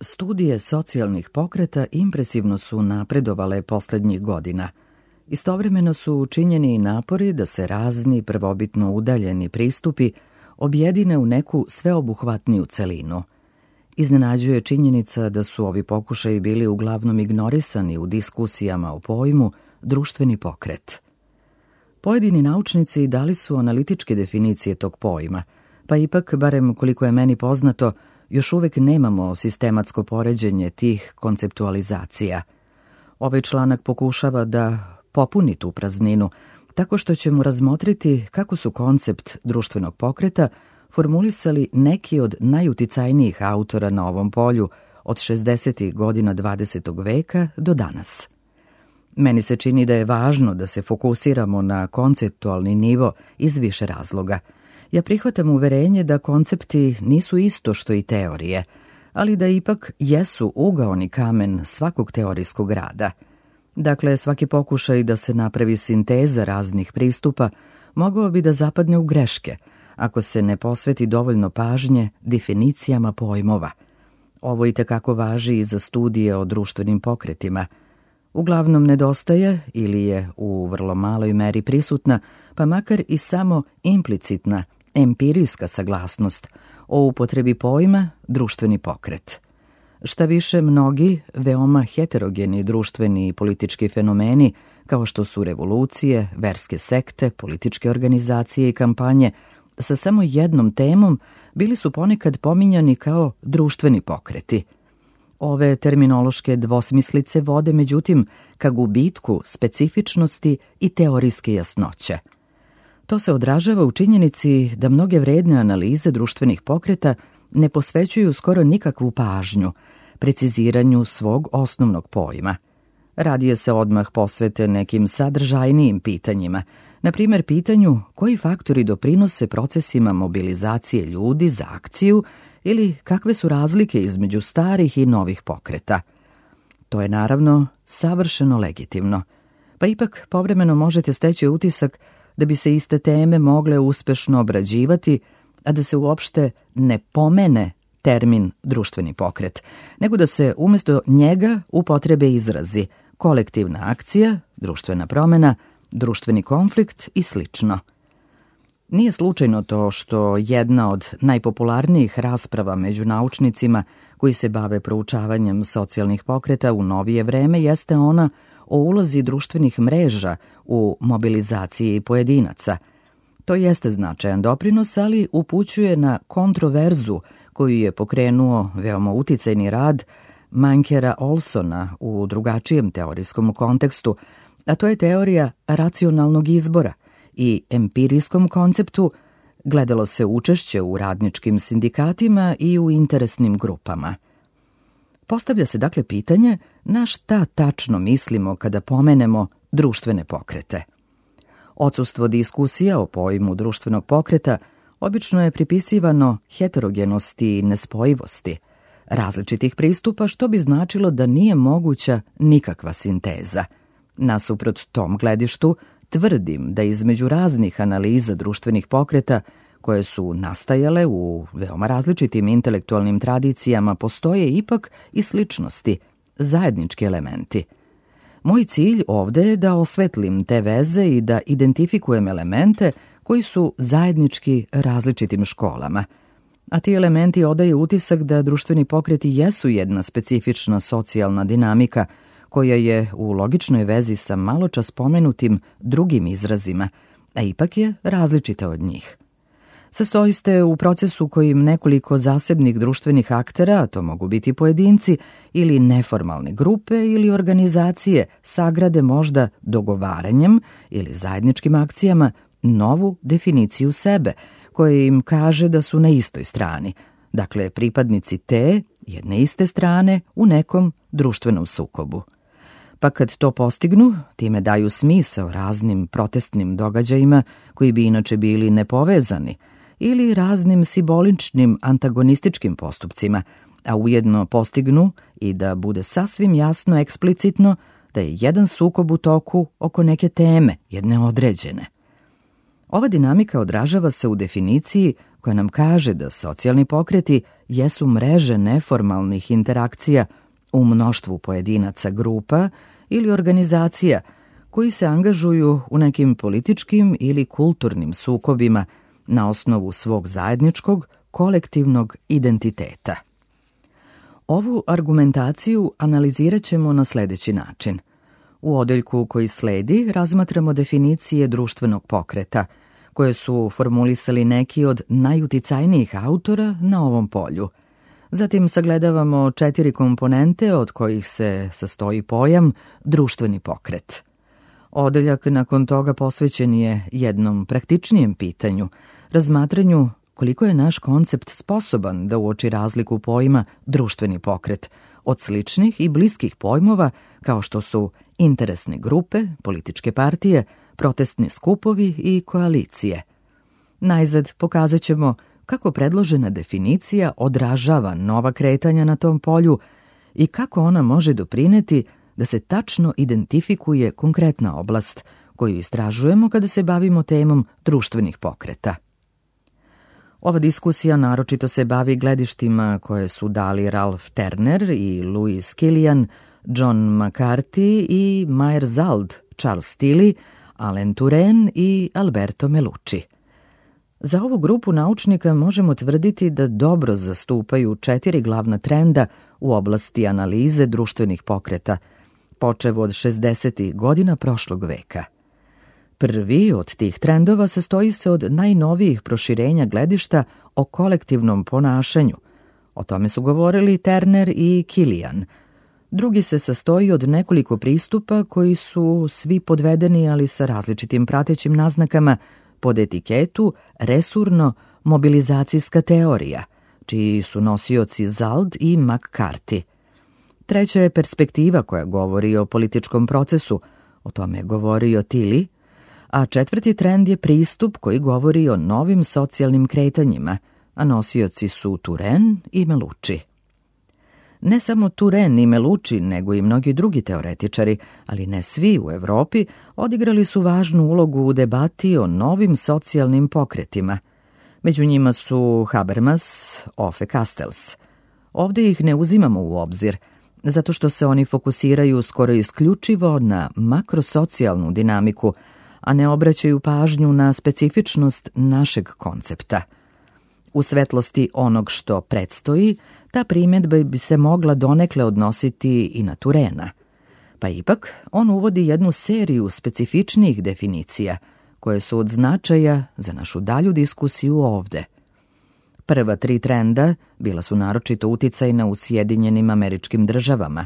Studije socijalnih pokreta impresivno su napredovale poslednjih godina. Istovremeno su učinjeni i napori da se razni prvobitno udaljeni pristupi objedine u neku sveobuhvatniju celinu. Iznenađuje činjenica da su ovi pokušaji bili uglavnom ignorisani u diskusijama o pojmu društveni pokret. Pojedini naučnici dali su analitičke definicije tog pojma, pa ipak, barem koliko je meni poznato, još uvek nemamo sistematsko poređenje tih konceptualizacija. Ovaj članak pokušava da popuni tu prazninu, tako što ćemo razmotriti kako su koncept društvenog pokreta formulisali neki od najuticajnijih autora na ovom polju od 60. godina 20. veka do danas. Meni se čini da je važno da se fokusiramo na konceptualni nivo iz više razloga. Ja prihvatam uverenje da koncepti nisu isto što i teorije, ali da ipak jesu ugaoni kamen svakog teorijskog rada. Dakle, svaki pokušaj da se napravi sinteza raznih pristupa mogao bi da zapadne u greške, ako se ne posveti dovoljno pažnje definicijama pojmova. Ovo i tekako važi i za studije o društvenim pokretima. Uglavnom nedostaje ili je u vrlo maloj meri prisutna, pa makar i samo implicitna, empirijska saglasnost o upotrebi pojma društveni pokret. Šta više, mnogi veoma heterogeni društveni i politički fenomeni, kao što su revolucije, verske sekte, političke organizacije i kampanje, sa samo jednom temom bili su ponekad pominjani kao društveni pokreti. Ove terminološke dvosmislice vode, međutim, ka gubitku specifičnosti i teorijske jasnoće. To se odražava u činjenici da mnoge vredne analize društvenih pokreta ne posvećuju skoro nikakvu pažnju preciziranju svog osnovnog pojma. Radije se odmah posvete nekim sadržajnijim pitanjima, na primjer pitanju koji faktori doprinose procesima mobilizacije ljudi za akciju ili kakve su razlike između starih i novih pokreta. To je naravno savršeno legitimno, pa ipak povremeno možete steći utisak da bi se iste teme mogle uspešno obrađivati, a da se uopšte ne pomene termin društveni pokret, nego da se umjesto njega upotrebe izrazi kolektivna akcija, društvena promena, društveni konflikt i slično. Nije slučajno to što jedna od najpopularnijih rasprava među naučnicima koji se bave proučavanjem socijalnih pokreta u novije vreme jeste ona o ulozi društvenih mreža u mobilizaciji pojedinaca. To jeste značajan doprinos, ali upućuje na kontroverzu koju je pokrenuo veoma uticajni rad Mankera Olsona u drugačijem teorijskom kontekstu, a to je teorija racionalnog izbora i empirijskom konceptu gledalo se učešće u radničkim sindikatima i u interesnim grupama. Postavlja se dakle pitanje na šta tačno mislimo kada pomenemo društvene pokrete. Odsustvo diskusija o pojmu društvenog pokreta obično je pripisivano heterogenosti i nespojivosti različitih pristupa, što bi značilo da nije moguća nikakva sinteza. Nasuprot tom gledištu, tvrdim da između raznih analiza društvenih pokreta, koje su nastajale u veoma različitim intelektualnim tradicijama, postoje ipak i sličnosti, zajednički elementi. Moj cilj ovde je da osvetlim te veze i da identifikujem elemente koji su zajednički različitim školama. A ti elementi odaju utisak da društveni pokreti jesu jedna specifična socijalna dinamika koja je u logičnoj vezi sa maločas spomenutim drugim izrazima, a ipak je različita od njih. Sastoji se u procesu kojim nekoliko zasebnih društvenih aktera, a to mogu biti pojedinci ili neformalne grupe ili organizacije, sagrade možda dogovaranjem ili zajedničkim akcijama novu definiciju sebe, koja im kaže da su na istoj strani, dakle pripadnici te jedne iste strane u nekom društvenom sukobu. Pa kad to postignu, time daju smisao raznim protestnim događajima koji bi inače bili nepovezani ili raznim simboličnim antagonističkim postupcima, a ujedno postignu i da bude sasvim jasno eksplicitno da je jedan sukob u toku oko neke teme, jedne određene. Ova dinamika odražava se u definiciji koja nam kaže da socijalni pokreti jesu mreže neformalnih interakcija u mnoštvu pojedinaca, grupa ili organizacija koji se angažuju u nekim političkim ili kulturnim sukobima na osnovu svog zajedničkog, kolektivnog identiteta. Ovu argumentaciju analizirat ćemo na sledeći način. U odeljku koji sledi razmatramo definicije društvenog pokreta, koje su formulisali neki od najuticajnijih autora na ovom polju. Zatim sagledavamo 4 komponente od kojih se sastoji pojam društveni pokret. Odeljak nakon toga posvećen je jednom praktičnijem pitanju, razmatranju koliko je naš koncept sposoban da uoči razliku pojma društveni pokret od sličnih i bliskih pojmova kao što su interesne grupe, političke partije, protestni skupovi i koalicije. Najzad pokazat ćemo kako predložena definicija odražava nova kretanja na tom polju i kako ona može doprineti da se tačno identifikuje konkretna oblast koju istražujemo kada se bavimo temom društvenih pokreta. Ova diskusija naročito se bavi gledištima koje su dali Ralph Turner i Louis Kilian, John McCarthy i Meyer Zald, Charles Tilly, Alain Touraine i Alberto Melucci. Za ovu grupu naučnika možemo tvrditi da dobro zastupaju 4 glavna trenda u oblasti analize društvenih pokreta, počev od 60. godina prošlog veka. Prvi od tih trendova sastoji se od najnovijih proširenja gledišta o kolektivnom ponašanju. O tome su govorili Turner i Kilian. Drugi se sastoji od nekoliko pristupa koji su svi podvedeni, ali sa različitim pratećim naznakama, pod etiketu resurno-mobilizacijska teorija, čiji su nosioci Zald i McCarthy. Treća je perspektiva koja govori o političkom procesu, o tome je govorio Tilly, a 4. trend je pristup koji govori o novim socijalnim kretanjima, a nosioci su Touraine i Melucci. Ne samo Touraine i Melucci, nego i mnogi drugi teoretičari, ali ne svi u Evropi, odigrali su važnu ulogu u debati o novim socijalnim pokretima. Među njima su Habermas, Ove Castells. Ovdje ih ne uzimamo u obzir, zato što se oni fokusiraju skoro isključivo na makrosocijalnu dinamiku, a ne obraćaju pažnju na specifičnost našeg koncepta. U svetlosti onog što predstoji, ta primjedba bi se mogla donekle odnositi i na Touraina. Pa ipak, on uvodi jednu seriju specifičnijih definicija, koje su od značaja za našu dalju diskusiju ovde. Prva 3 trenda bila su naročito uticajna u Sjedinjenim Američkim Državama,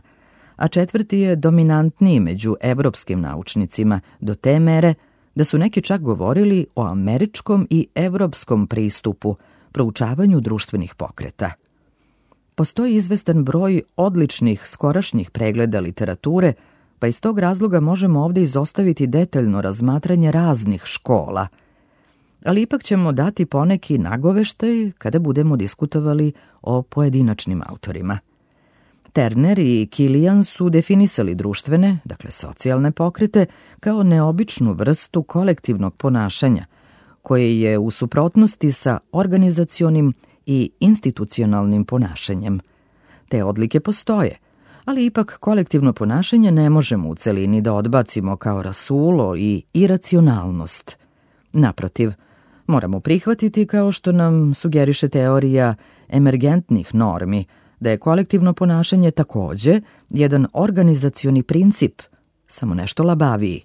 a 4. je dominantniji među evropskim naučnicima do te mere da su neki čak govorili o američkom i evropskom pristupu proučavanju društvenih pokreta. Postoji izvestan broj odličnih skorašnjih pregleda literature, pa iz tog razloga možemo ovdje izostaviti detaljno razmatranje raznih škola, ali ipak ćemo dati poneki nagoveštaj kada budemo diskutovali o pojedinačnim autorima. Turner i Kilian su definisali društvene, dakle socijalne pokrete, kao neobičnu vrstu kolektivnog ponašanja, koje je u suprotnosti sa organizacionim i institucionalnim ponašanjem. Te odlike postoje, ali ipak kolektivno ponašanje ne možemo u celini da odbacimo kao rasulo i iracionalnost. Naprotiv, moramo prihvatiti, kao što nam sugeriše teorija emergentnih normi, da je kolektivno ponašanje takođe jedan organizacioni princip, samo nešto labaviji.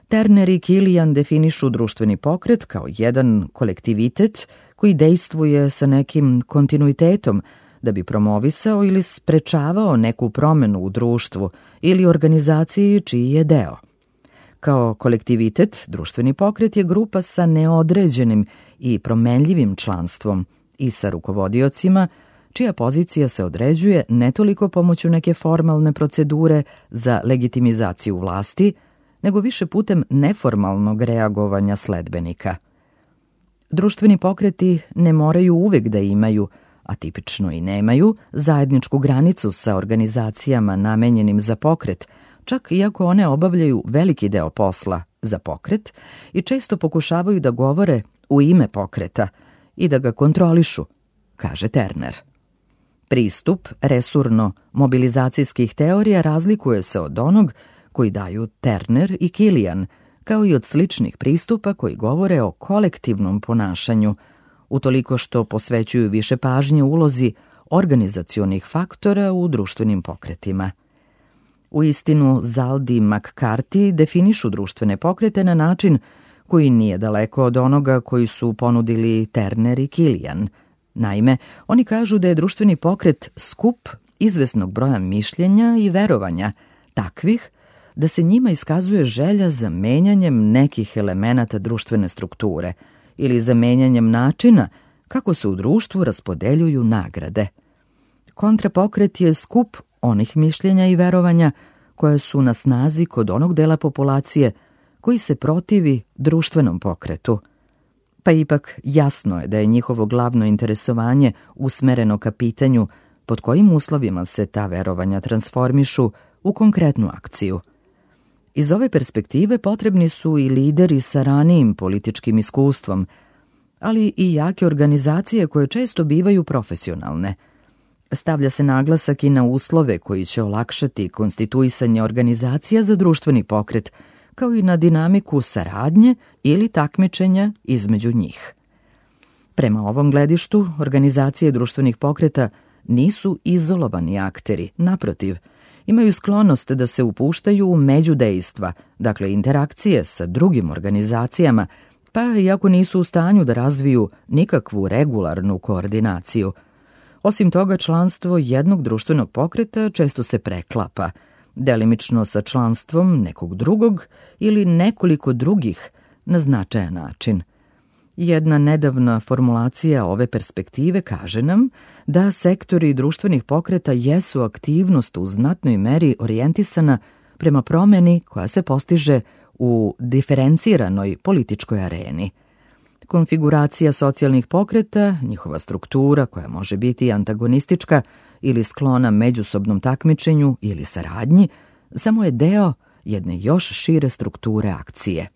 Turner i Kilian definišu društveni pokret kao jedan kolektivitet koji dejstvuje sa nekim kontinuitetom da bi promovisao ili sprečavao neku promenu u društvu ili organizaciji čiji je deo. Kao kolektivitet, društveni pokret je grupa sa neodređenim i promenljivim članstvom i sa rukovodiocima, čija pozicija se određuje ne toliko pomoću neke formalne procedure za legitimizaciju vlasti, nego više putem neformalnog reagovanja sledbenika. Društveni pokreti ne moraju uvek da imaju, a tipično i nemaju, zajedničku granicu sa organizacijama namenjenim za pokret, čak iako one obavljaju veliki deo posla za pokret i često pokušavaju da govore u ime pokreta i da ga kontrolišu, kaže Terner. Pristup resurno-mobilizacijskih teorija razlikuje se od onog koji daju Terner i Kilian, kao i od sličnih pristupa koji govore o kolektivnom ponašanju, utoliko što posvećuju više pažnje ulozi organizacionih faktora u društvenim pokretima. Uistinu, Zaldi i McCarthy definišu društvene pokrete na način koji nije daleko od onoga koji su ponudili Terner i Kilian. Naime, oni kažu da je društveni pokret skup izvesnog broja mišljenja i verovanja, takvih da se njima iskazuje želja za menjanjem nekih elemenata društvene strukture ili za menjanjem načina kako se u društvu raspodeljuju nagrade. Kontrapokret je skup onih mišljenja i verovanja koje su na snazi kod onog dela populacije koji se protivi društvenom pokretu. Pa ipak jasno je da je njihovo glavno interesovanje usmereno ka pitanju pod kojim uslovima se ta verovanja transformišu u konkretnu akciju. Iz ove perspektive potrebni su i lideri sa ranijim političkim iskustvom, ali i jake organizacije koje često bivaju profesionalne. Stavlja se naglasak i na uslove koji će olakšati konstituisanje organizacija za društveni pokret, kao i na dinamiku saradnje ili takmičenja između njih. Prema ovom gledištu, organizacije društvenih pokreta nisu izolovani akteri, naprotiv, imaju sklonost da se upuštaju u međudejstva, dakle interakcije sa drugim organizacijama, pa iako nisu u stanju da razviju nikakvu regularnu koordinaciju. Osim toga, članstvo jednog društvenog pokreta često se preklapa, delimično sa članstvom nekog drugog ili nekoliko drugih na značajan način. Jedna nedavna formulacija ove perspektive kaže nam da sektori društvenih pokreta jesu aktivnost u znatnoj meri orijentisana prema promeni koja se postiže u diferenciranoj političkoj areni. Konfiguracija socijalnih pokreta, njihova struktura koja može biti antagonistička ili sklona međusobnom takmičenju ili saradnji, samo je deo jedne još šire strukture akcije.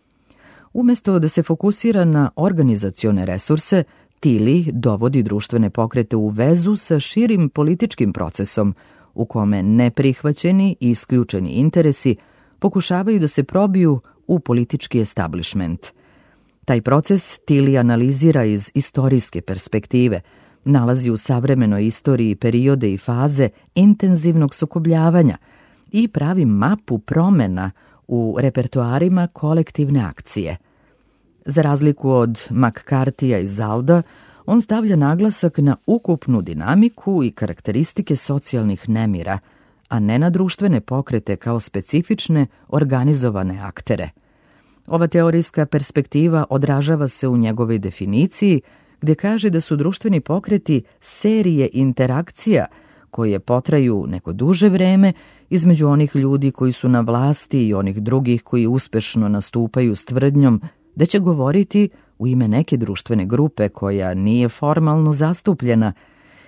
Umesto da se fokusira na organizacione resurse, Tilly dovodi društvene pokrete u vezu sa širim političkim procesom u kome neprihvaćeni i isključeni interesi pokušavaju da se probiju u politički establishment. Taj proces Tilly analizira iz istorijske perspektive, nalazi u savremenoj istoriji periode i faze intenzivnog sukobljavanja i pravi mapu promena u repertoarima kolektivne akcije. Za razliku od McCarthyja i Zalda, on stavlja naglasak na ukupnu dinamiku i karakteristike socijalnih nemira, a ne na društvene pokrete kao specifične organizovane aktere. Ova teorijska perspektiva odražava se u njegovoj definiciji, gdje kaže da su društveni pokreti serije interakcija koje potraju neko duže vreme između onih ljudi koji su na vlasti i onih drugih koji uspešno nastupaju s tvrdnjom da će govoriti u ime neke društvene grupe koja nije formalno zastupljena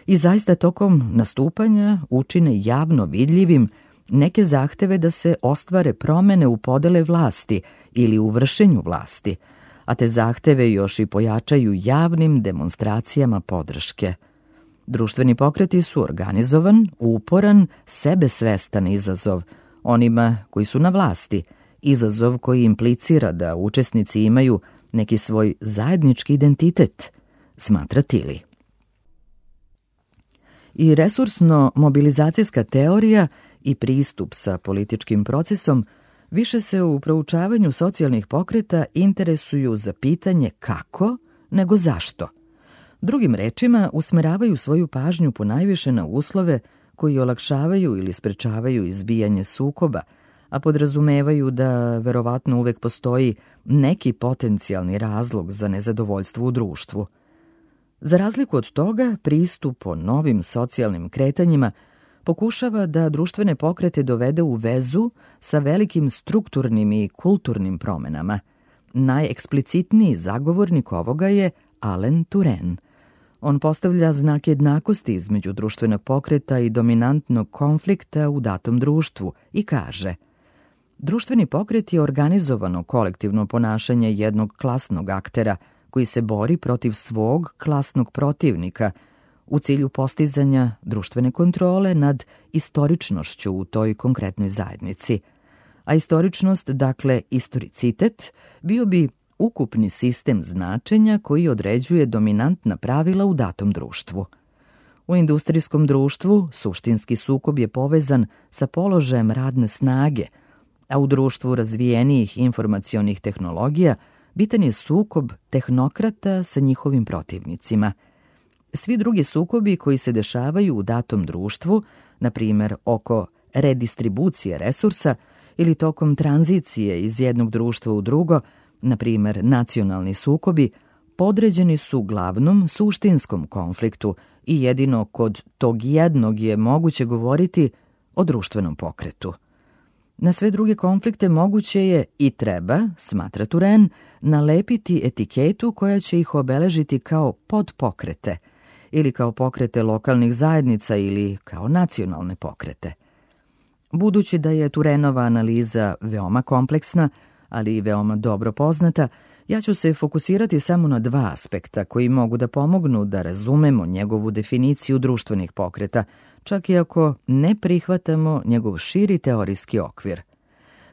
i zaista tokom nastupanja učine javno vidljivim neke zahteve da se ostvare promene u podele vlasti ili u vršenju vlasti, a te zahteve još i pojačaju javnim demonstracijama podrške. Društveni pokreti su organizovan, uporan, sebesvestan izazov onima koji su na vlasti, izazov koji implicira da učesnici imaju neki svoj zajednički identitet, smatra Tilly. I resursno-mobilizacijska teorija i pristup sa političkim procesom više se u proučavanju socijalnih pokreta interesuju za pitanje kako nego zašto. Drugim rečima, usmeravaju svoju pažnju ponajviše na uslove koji olakšavaju ili sprečavaju izbijanje sukoba, a podrazumevaju da verovatno uvek postoji neki potencijalni razlog za nezadovoljstvo u društvu. Za razliku od toga, pristup o novim socijalnim kretanjima pokušava da društvene pokrete dovede u vezu sa velikim strukturnim i kulturnim promenama. Najeksplicitniji zagovornik ovoga je Alain Touraine. On postavlja znak jednakosti između društvenog pokreta i dominantnog konflikta u datom društvu i kaže: Društveni pokret je organizovano kolektivno ponašanje jednog klasnog aktera koji se bori protiv svog klasnog protivnika u cilju postizanja društvene kontrole nad istoričnošću u toj konkretnoj zajednici. A istoričnost, dakle istoricitet, bio bi ukupni sistem značenja koji određuje dominantna pravila u datom društvu. U industrijskom društvu suštinski sukob je povezan sa položajem radne snage, a u društvu razvijenijih informacionih tehnologija bitan je sukob tehnokrata sa njihovim protivnicima. Svi drugi sukobi koji se dešavaju u datom društvu, na primjer oko redistribucije resursa ili tokom tranzicije iz jednog društva u drugo, na primjer nacionalni sukobi, podređeni su glavnom suštinskom konfliktu i jedino kod tog jednog je moguće govoriti o društvenom pokretu. Na sve druge konflikte moguće je i treba, smatra Turenne, nalepiti etiketu koja će ih obeležiti kao podpokrete ili kao pokrete lokalnih zajednica ili kao nacionalne pokrete. Budući da je Turenova analiza veoma kompleksna, ali i veoma dobro poznata, ja ću se fokusirati samo na dva aspekta koji mogu da pomognu da razumemo njegovu definiciju društvenih pokreta, čak i ako ne prihvatamo njegov širi teorijski okvir.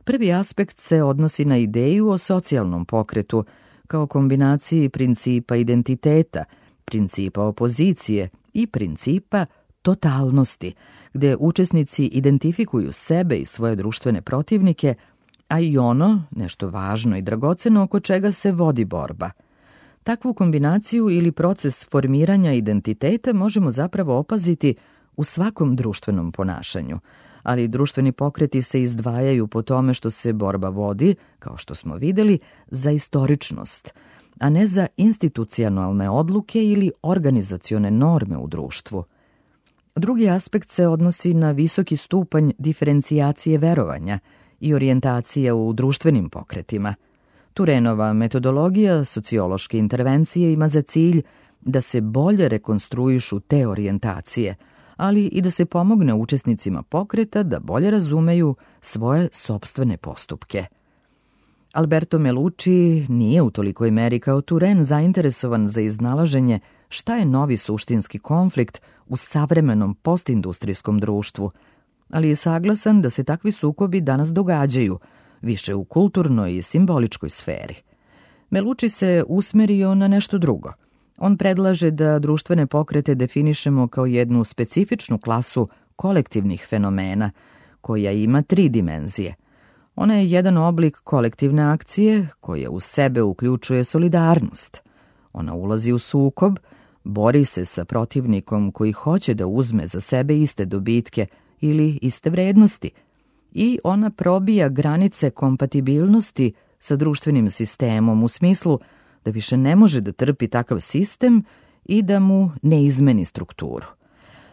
Prvi aspekt se odnosi na ideju o socijalnom pokretu kao kombinaciji principa identiteta, principa opozicije i principa totalnosti, gde učesnici identifikuju sebe i svoje društvene protivnike, a i ono, nešto važno i dragoceno oko čega se vodi borba. Takvu kombinaciju ili proces formiranja identiteta možemo zapravo opaziti u svakom društvenom ponašanju, ali društveni pokreti se izdvajaju po tome što se borba vodi, kao što smo videli, za istoričnost, a ne za institucionalne odluke ili organizacione norme u društvu. Drugi aspekt se odnosi na visoki stupanj diferencijacije verovanja i orijentacija u društvenim pokretima. Turenova metodologija sociološke intervencije ima za cilj da se bolje rekonstruišu te orijentacije, ali i da se pomogne učesnicima pokreta da bolje razumeju svoje sopstvene postupke. Alberto Melucci nije u tolikoj meri kao Turenne zainteresovan za iznalaženje šta je novi suštinski konflikt u savremenom postindustrijskom društvu, ali je saglasan da se takvi sukobi danas događaju, više u kulturnoj i simboličkoj sferi. Melucci se usmerio na nešto drugo. On predlaže da društvene pokrete definišemo kao jednu specifičnu klasu kolektivnih fenomena, koja ima 3 dimenzije. Ona je jedan oblik kolektivne akcije koja u sebe uključuje solidarnost. Ona ulazi u sukob, bori se sa protivnikom koji hoće da uzme za sebe iste dobitke ili iste vrednosti i ona probija granice kompatibilnosti sa društvenim sistemom u smislu da više ne može da trpi takav sistem i da mu ne izmeni strukturu.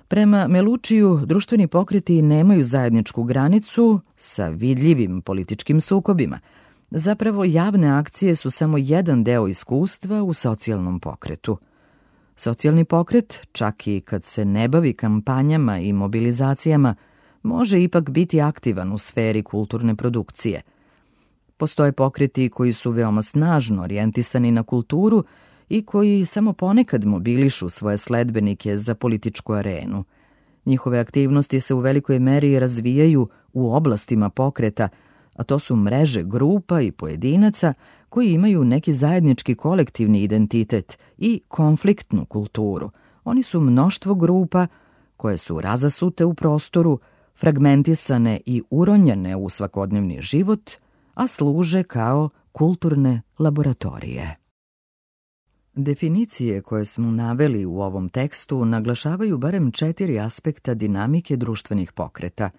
Prema Melucciju, društveni pokreti nemaju zajedničku granicu sa vidljivim političkim sukobima. Zapravo, javne akcije su samo jedan deo iskustva u socijalnom pokretu. Socijalni pokret, čak i kad se ne bavi kampanjama i mobilizacijama, može ipak biti aktivan u sferi kulturne produkcije. Postoje pokreti koji su veoma snažno orijentisani na kulturu i koji samo ponekad mobilišu svoje sledbenike za političku arenu. Njihove aktivnosti se u velikoj meri razvijaju u oblastima pokreta, a to su mreže grupa i pojedinaca koji imaju neki zajednički kolektivni identitet i konfliktnu kulturu. Oni su mnoštvo grupa koje su razasute u prostoru, fragmentisane i uronjene u svakodnevni život, a služe kao kulturne laboratorije. Definicije koje smo naveli u ovom tekstu naglašavaju barem 4 aspekta dinamike društvenih pokreta.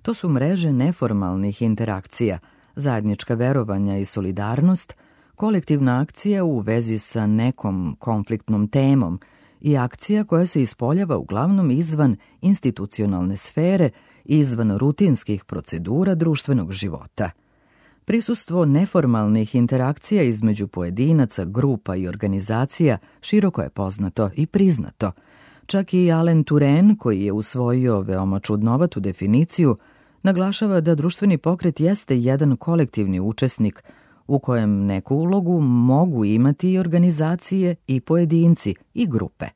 To su mreže neformalnih interakcija, zajednička verovanja i solidarnost, kolektivna akcija u vezi sa nekom konfliktnom temom i akcija koja se ispoljava uglavnom izvan institucionalne sfere i izvan rutinskih procedura društvenog života. Prisustvo neformalnih interakcija između pojedinaca, grupa i organizacija široko je poznato i priznato. Čak i Alain Turenne, koji je usvojio veoma čudnovatu definiciju, Naglašava da društveni pokret jeste jedan kolektivni učesnik u kojem neku ulogu mogu imati i organizacije i pojedinci i grupe.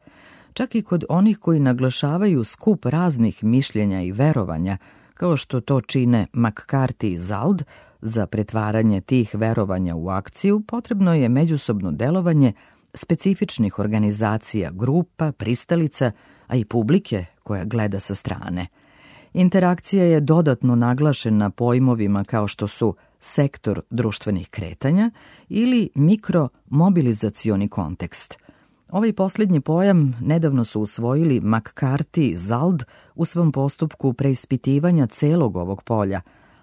Čak i kod onih koji naglašavaju skup raznih mišljenja i verovanja, kao što to čine McCarthy i Zald, za pretvaranje tih verovanja u akciju potrebno je međusobno delovanje specifičnih organizacija, grupa, pristalica, a i publike koja gleda sa strane. Interakcija je dodatno naglašena pojmovima kao što su sektor društvenih kretanja ili mikromobilizacioni kontekst. Ovaj posljednji pojam nedavno su usvojili McCarthy i Zald u svom postupku preispitivanja celog ovog polja,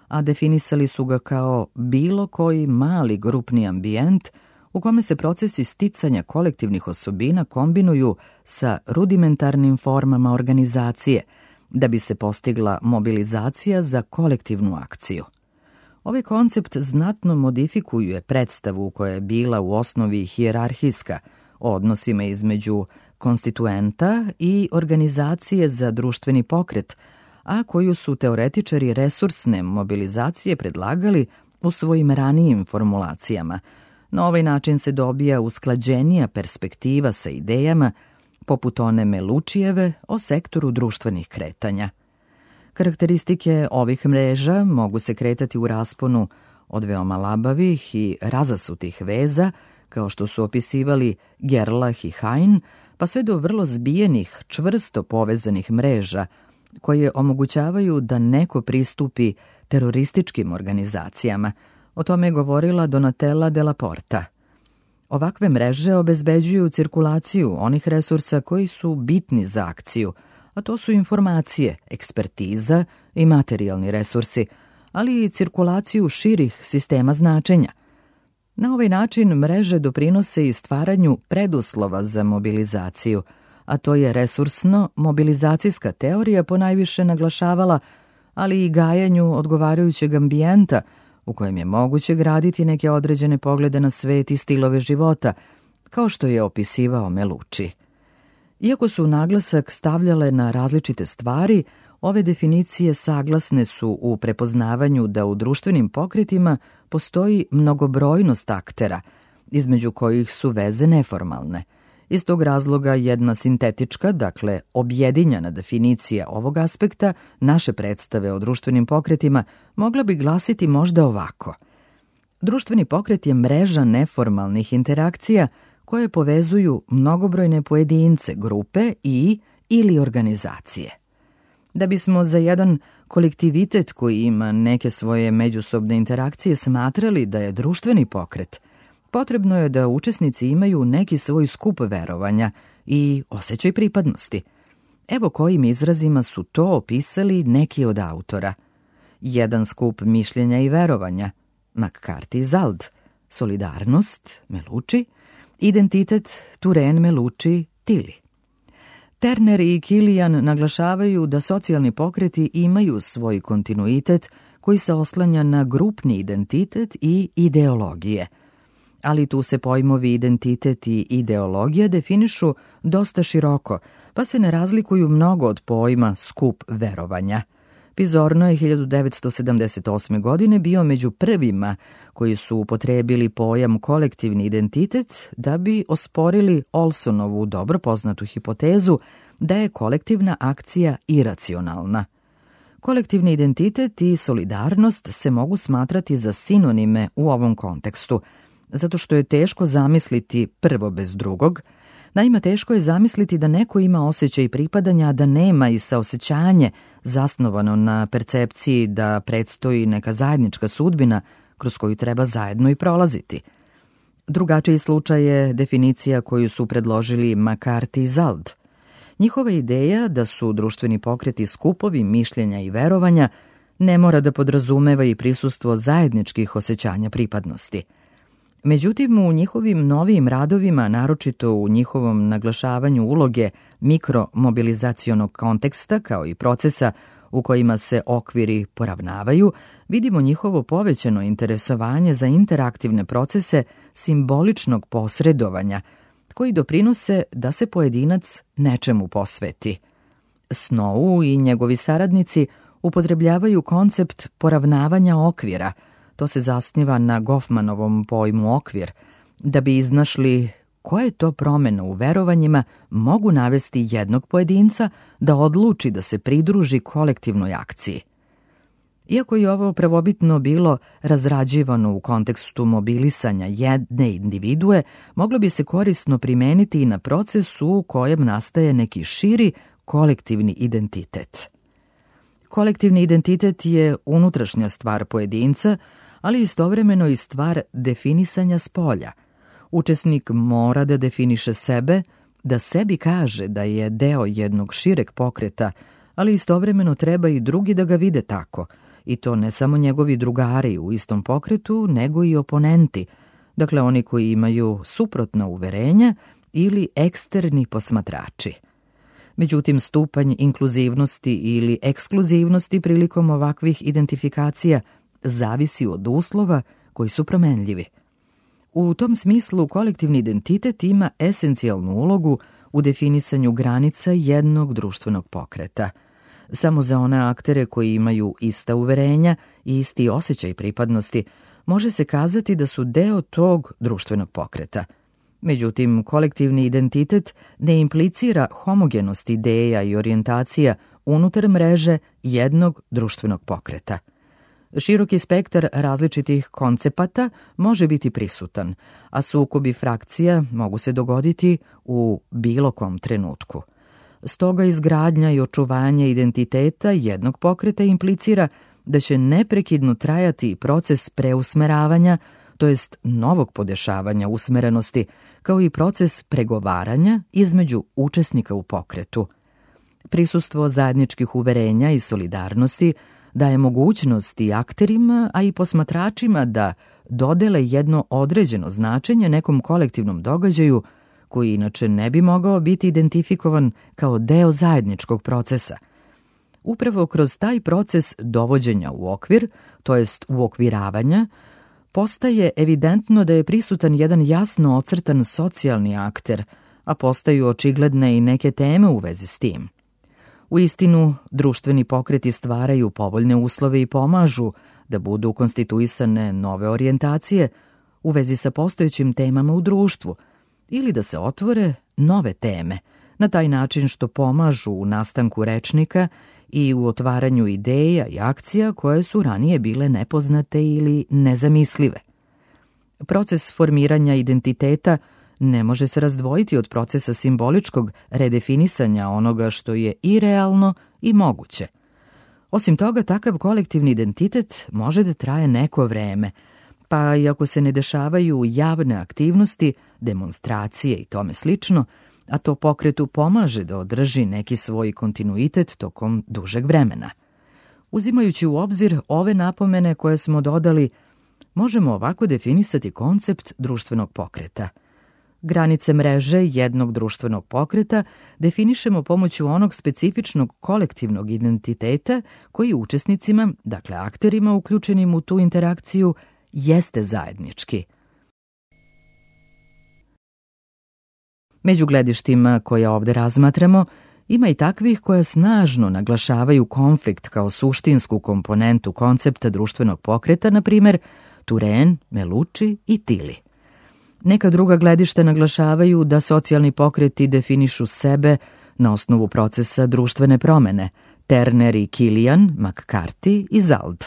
a definisali su ga kao bilo koji mali grupni ambijent u kome se procesi sticanja kolektivnih osobina kombinuju sa rudimentarnim formama organizacije, da bi se postigla mobilizacija za kolektivnu akciju. Ovaj koncept znatno modifikuje predstavu koja je bila u osnovi hijerarhijska o odnosima između konstituenta i organizacije za društveni pokret, a koju su teoretičari resursne mobilizacije predlagali u svojim ranijim formulacijama. Na ovaj način se dobija usklađenija perspektiva sa idejama poput one Melučijeve o sektoru društvenih kretanja. Karakteristike ovih mreža mogu se kretati u rasponu od veoma labavih i razasutih veza, kao što su opisivali Gerlach i Hein, pa sve do vrlo zbijenih, čvrsto povezanih mreža, koje omogućavaju da neko pristupi terorističkim organizacijama. O tome je govorila Donatella Della Porta. Ovakve mreže obezbeđuju cirkulaciju onih resursa koji su bitni za akciju, a to su informacije, ekspertiza i materijalni resursi, ali i cirkulaciju širih sistema značenja. Na ovaj način mreže doprinose i stvaranju preduslova za mobilizaciju, a to je resursno-mobilizacijska teorija ponajviše naglašavala, ali i gajanju odgovarajućeg ambijenta u kojem je moguće graditi neke određene poglede na svet i stilove života, kao što je opisivao Meluči. Iako su naglasak stavljale na različite stvari, ove definicije saglasne su u prepoznavanju da u društvenim pokretima postoji mnogobrojnost aktera, između kojih su veze neformalne. Iz tog razloga jedna sintetička, dakle objedinjena definicija ovog aspekta naše predstave o društvenim pokretima mogla bi glasiti možda ovako. Društveni pokret je mreža neformalnih interakcija koje povezuju mnogobrojne pojedince, grupe ili organizacije. Da bismo za jedan kolektivitet koji ima neke svoje međusobne interakcije smatrali da je društveni pokret, potrebno je da učesnici imaju neki svoj skup verovanja i osjećaj pripadnosti. Evo kojim izrazima su to opisali neki od autora. Jedan skup mišljenja i verovanja, McCarthy i Zald, solidarnost, Meluči, identitet, Turenne, Meluči, Tilly. Turner i Kilian naglašavaju da socijalni pokreti imaju svoj kontinuitet koji se oslanja na grupni identitet i ideologije. Ali tu se pojmovi identitet i ideologija definišu dosta široko, pa se ne razlikuju mnogo od pojma skup verovanja. Pizorno je 1978. godine bio među prvima koji su upotrebili pojam kolektivni identitet da bi osporili Olsonovu dobro poznatu hipotezu da je kolektivna akcija iracionalna. Kolektivni identitet i solidarnost se mogu smatrati za sinonime u ovom kontekstu, zato što je teško zamisliti prvo bez drugog. Naime, teško je zamisliti da neko ima osjećaj pripadanja, a da nema i saosećanje zasnovano na percepciji da predstoji neka zajednička sudbina kroz koju treba zajedno i prolaziti. Drugačiji slučaj je definicija koju su predložili McCarthy i Zald. Njihova ideja da su društveni pokreti skupovi mišljenja i verovanja ne mora da podrazumeva i prisustvo zajedničkih osjećanja pripadnosti. Međutim, u njihovim novijim radovima, naročito u njihovom naglašavanju uloge mikromobilizacionog konteksta kao i procesa u kojima se okviri poravnavaju, vidimo njihovo povećano interesovanje za interaktivne procese simboličnog posredovanja, koji doprinose da se pojedinac nečemu posveti. Snow i njegovi saradnici upotrebljavaju koncept poravnavanja okvira, to se zasniva na Goffmanovom pojmu okvir, da bi iznašli koje to promjene u verovanjima mogu navesti jednog pojedinca da odluči da se pridruži kolektivnoj akciji. Iako je ovo prvobitno bilo razrađivano u kontekstu mobilisanja jedne individue, moglo bi se korisno primeniti i na procesu u kojem nastaje neki širi kolektivni identitet. Kolektivni identitet je unutrašnja stvar pojedinca, ali istovremeno i stvar definisanja spolja. Učesnik mora da definiše sebe, da sebi kaže da je deo jednog šireg pokreta, ali istovremeno treba i drugi da ga vide tako, i to ne samo njegovi drugari u istom pokretu, nego i oponenti, dakle oni koji imaju suprotna uverenja ili eksterni posmatrači. Međutim, stupanj inkluzivnosti ili ekskluzivnosti prilikom ovakvih identifikacija zavisi od uslova koji su promenljivi. U tom smislu kolektivni identitet ima esencijalnu ulogu u definisanju granica jednog društvenog pokreta. Samo za one aktere koji imaju ista uverenja i isti osjećaj pripadnosti može se kazati da su deo tog društvenog pokreta. Međutim, kolektivni identitet ne implicira homogenost ideja i orijentacija unutar mreže jednog društvenog pokreta. Široki spektar različitih koncepata može biti prisutan, a sukobi frakcija mogu se dogoditi u bilo kom trenutku. Stoga izgradnja i očuvanje identiteta jednog pokreta implicira da će neprekidno trajati proces preusmeravanja, to jest novog podešavanja usmerenosti, kao i proces pregovaranja između učesnika u pokretu. Prisustvo zajedničkih uverenja i solidarnosti daje mogućnost i akterima, a i posmatračima da dodele jedno određeno značenje nekom kolektivnom događaju koji inače ne bi mogao biti identifikovan kao deo zajedničkog procesa. Upravo kroz taj proces dovođenja u okvir, to jest uokviravanja, postaje evidentno da je prisutan jedan jasno ocrtan socijalni akter, a postaju očigledne i neke teme u vezi s tim. Uistinu, društveni pokreti stvaraju povoljne uslove i pomažu da budu konstituisane nove orijentacije u vezi sa postojećim temama u društvu ili da se otvore nove teme, na taj način što pomažu u nastanku rečnika i u otvaranju ideja i akcija koje su ranije bile nepoznate ili nezamislive. Proces formiranja identiteta ne može se razdvojiti od procesa simboličkog redefinisanja onoga što je i realno i moguće. Osim toga, takav kolektivni identitet može da traje neko vreme, pa i ako se ne dešavaju javne aktivnosti, demonstracije i tome slično, a to pokretu pomaže da održi neki svoj kontinuitet tokom dužeg vremena. Uzimajući u obzir ove napomene koje smo dodali, možemo ovako definisati koncept društvenog pokreta. Granice mreže jednog društvenog pokreta definišemo pomoću onog specifičnog kolektivnog identiteta koji učesnicima, dakle akterima uključenim u tu interakciju, jeste zajednički. Među gledištima koja ovde razmatramo, ima i takvih koja snažno naglašavaju konflikt kao suštinsku komponentu koncepta društvenog pokreta, na primjer Turenne, Melucci i Tilly. Neka druga gledišta naglašavaju da socijalni pokreti definišu sebe na osnovu procesa društvene promene, Turner i Killian, McCarthy i Zald.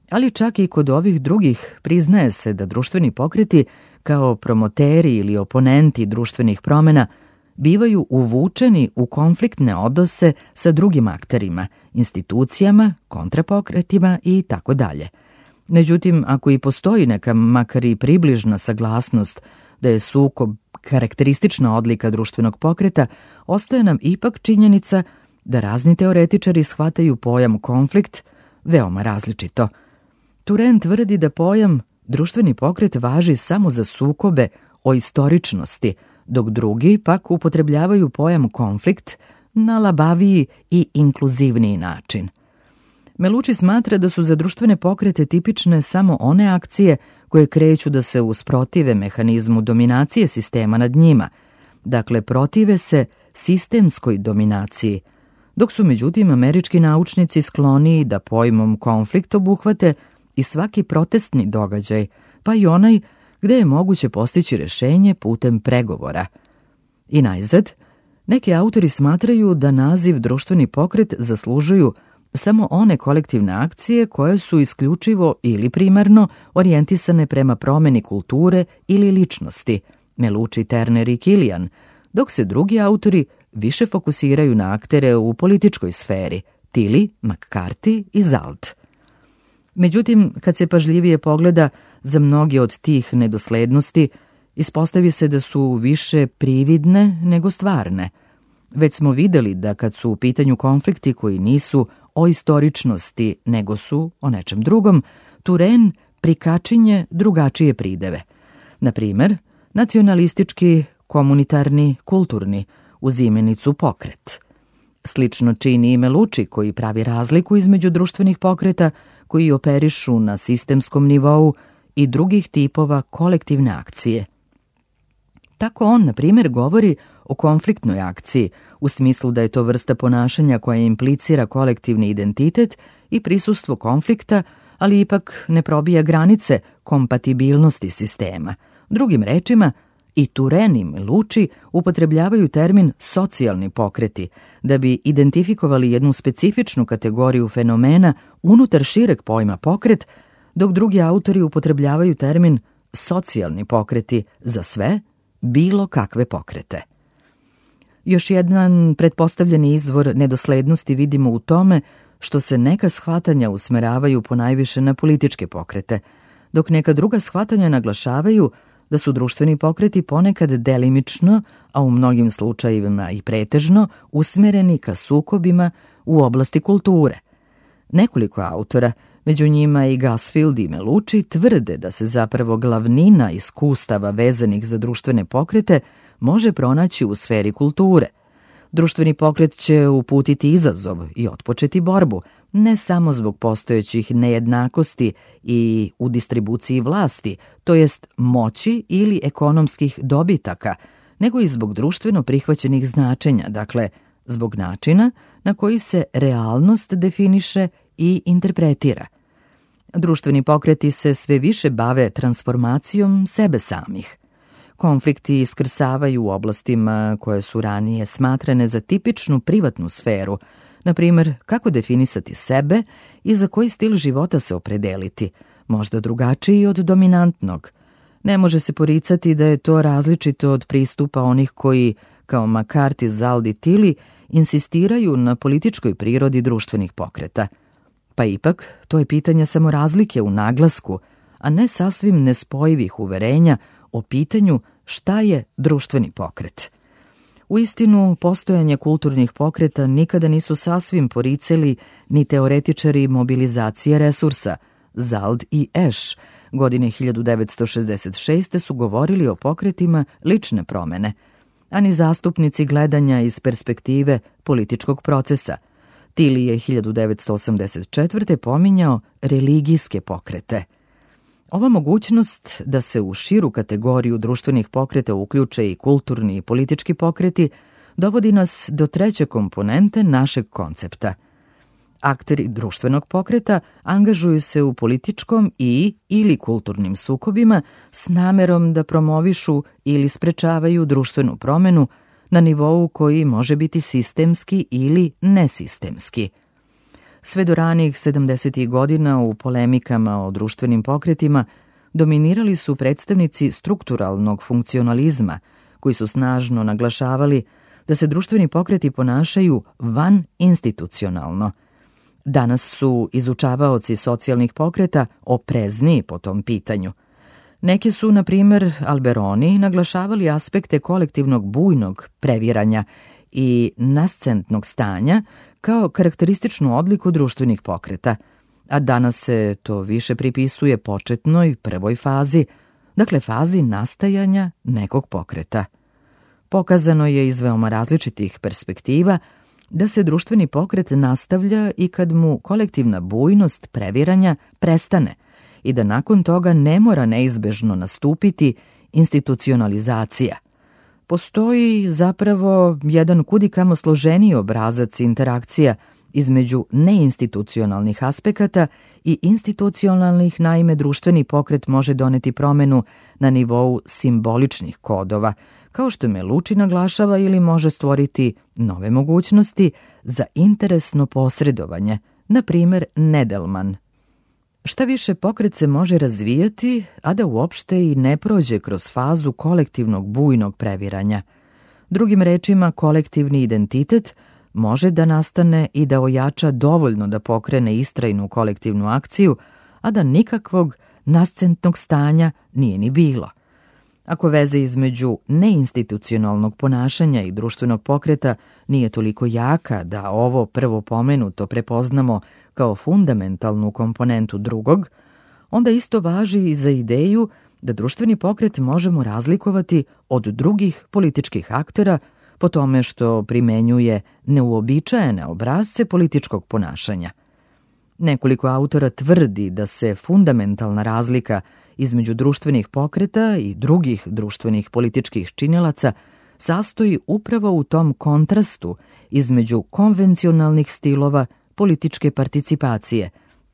Ali čak i kod ovih drugih priznaje se da društveni pokreti, kao promoteri ili oponenti društvenih promena, bivaju uvučeni u konfliktne odnose sa drugim akterima, institucijama, kontrapokretima i tako dalje. Međutim, ako i postoji neka makar i približna saglasnost da je sukob karakteristična odlika društvenog pokreta, ostaje nam ipak činjenica da razni teoretičari shvataju pojam konflikt veoma različito. Turenne tvrdi da pojam društveni pokret važi samo za sukobe o istoričnosti, dok drugi pak upotrebljavaju pojam konflikt na labaviji i inkluzivniji način. Melucci smatra da su za društvene pokrete tipične samo one akcije koje kreću da se usprotive mehanizmu dominacije sistema nad njima, dakle protive se sistemskoj dominaciji, dok su međutim američki naučnici skloniji da pojmom konflikt obuhvate i svaki protestni događaj, pa i onaj gde je moguće postići rešenje putem pregovora. I najzad, neki autori smatraju da naziv društveni pokret zaslužuju samo one kolektivne akcije koje su isključivo ili primarno orijentisane prema promeni kulture ili ličnosti, Melucci, Turner i Kilian, dok se drugi autori više fokusiraju na aktere u političkoj sferi, Tilly, McCarthy i Zalt. Međutim, kad se pažljivije pogleda, za mnogi od tih nedoslednosti ispostavi se da su više prividne nego stvarne. Već smo videli da kad su u pitanju konflikti koji nisu o istoričnosti nego su o nečem drugom, Turenne prikačinje drugačije prideve. Na primer, nacionalistički, komunitarni, kulturni, uz imenicu pokret. Slično čini i Melucci koji pravi razliku između društvenih pokreta koji operišu na sistemskom nivou i drugih tipova kolektivne akcije. Tako on, na primjer, govori o konfliktnoj akciji, u smislu da je to vrsta ponašanja koja implicira kolektivni identitet i prisustvo konflikta, ali ipak ne probija granice kompatibilnosti sistema. Drugim rečima, i Turenne i Melucci upotrebljavaju termin socijalni pokreti da bi identifikovali jednu specifičnu kategoriju fenomena unutar šireg pojma pokret, dok drugi autori upotrebljavaju termin socijalni pokreti za sve, bilo kakve pokrete. Još jedan pretpostavljeni izvor nedoslednosti vidimo u tome što se neka shvatanja usmeravaju ponajviše na političke pokrete, dok neka druga shvatanja naglašavaju da su društveni pokreti ponekad delimično, a u mnogim slučajevima i pretežno, usmereni ka sukobima u oblasti kulture. Nekoliko autora, među njima i Gusfield i Melucci, tvrde da se zapravo glavnina iskustava vezanih za društvene pokrete može pronaći u sferi kulture. Društveni pokret će uputiti izazov i otpočeti borbu, ne samo zbog postojećih nejednakosti i u distribuciji vlasti, to jest moći ili ekonomskih dobitaka, nego i zbog društveno prihvaćenih značenja, dakle, zbog načina na koji se realnost definiše i interpretira. Društveni pokreti se sve više bave transformacijom sebe samih. Konflikti iskrsavaju u oblastima koje su ranije smatrane za tipičnu privatnu sferu, na primjer kako definisati sebe i za koji stil života se opredeliti, možda drugačiji od dominantnog. Ne može se poricati da je to različito od pristupa onih koji, kao McCarthy, Zalt i Tilly, insistiraju na političkoj prirodi društvenih pokreta. Pa ipak, to je pitanje samo razlike u naglasku, a ne sasvim nespojivih uverenja o pitanju šta je društveni pokret. Uistinu, postojanje kulturnih pokreta nikada nisu sasvim poricali ni teoretičari mobilizacije resursa. Zalt i Esch godine 1966. su govorili o pokretima lične promene, a ni zastupnici gledanja iz perspektive političkog procesa. Tilly je 1984. pominjao religijske pokrete. Ova mogućnost da se u širu kategoriju društvenih pokreta uključe i kulturni i politički pokreti dovodi nas do treće komponente našeg koncepta. Akteri društvenog pokreta angažuju se u političkom ili kulturnim sukobima s namerom da promovišu ili sprečavaju društvenu promenu na nivou koji može biti sistemski ili nesistemski. Sve do ranih 70. godina u polemikama o društvenim pokretima dominirali su predstavnici strukturalnog funkcionalizma, koji su snažno naglašavali da se društveni pokreti ponašaju van institucionalno. Danas su izučavaoci socijalnih pokreta oprezniji po tom pitanju. Neki su, na primjer, Alberoni naglašavali aspekte kolektivnog bujnog previranja i nascentnog stanja kao karakterističnu odliku društvenih pokreta, a danas se to više pripisuje početnoj prvoj fazi, dakle fazi nastajanja nekog pokreta. Pokazano je iz veoma različitih perspektiva da se društveni pokret nastavlja i kad mu kolektivna bujnost previranja prestane i da nakon toga ne mora neizbežno nastupiti institucionalizacija. postoji zapravo jedan kudikamo složeniji obrazac interakcija između neinstitucionalnih aspekata i institucionalnih. Naime, društveni pokret može doneti promenu na nivou simboličnih kodova, kao što Meluči naglašava, ili može stvoriti nove mogućnosti za interesno posredovanje, na primer Nedelman. Šta više, pokret se može razvijati, a da uopšte i ne prođe kroz fazu kolektivnog bujnog previranja. Drugim rečima, kolektivni identitet može da nastane i da ojača dovoljno da pokrene istrajnu kolektivnu akciju, a da nikakvog nascentnog stanja nije ni bilo. Ako veze između neinstitucionalnog ponašanja i društvenog pokreta nije toliko jaka da ovo prvo pomenuto prepoznamo kao fundamentalnu komponentu drugog, onda isto važi i za ideju da društveni pokret možemo razlikovati od drugih političkih aktera po tome što primenjuje neuobičajene obrasce političkog ponašanja. Nekoliko autora tvrdi da se fundamentalna razlika između društvenih pokreta i drugih društvenih političkih činilaca sastoji upravo u tom kontrastu između konvencionalnih stilova političke participacije,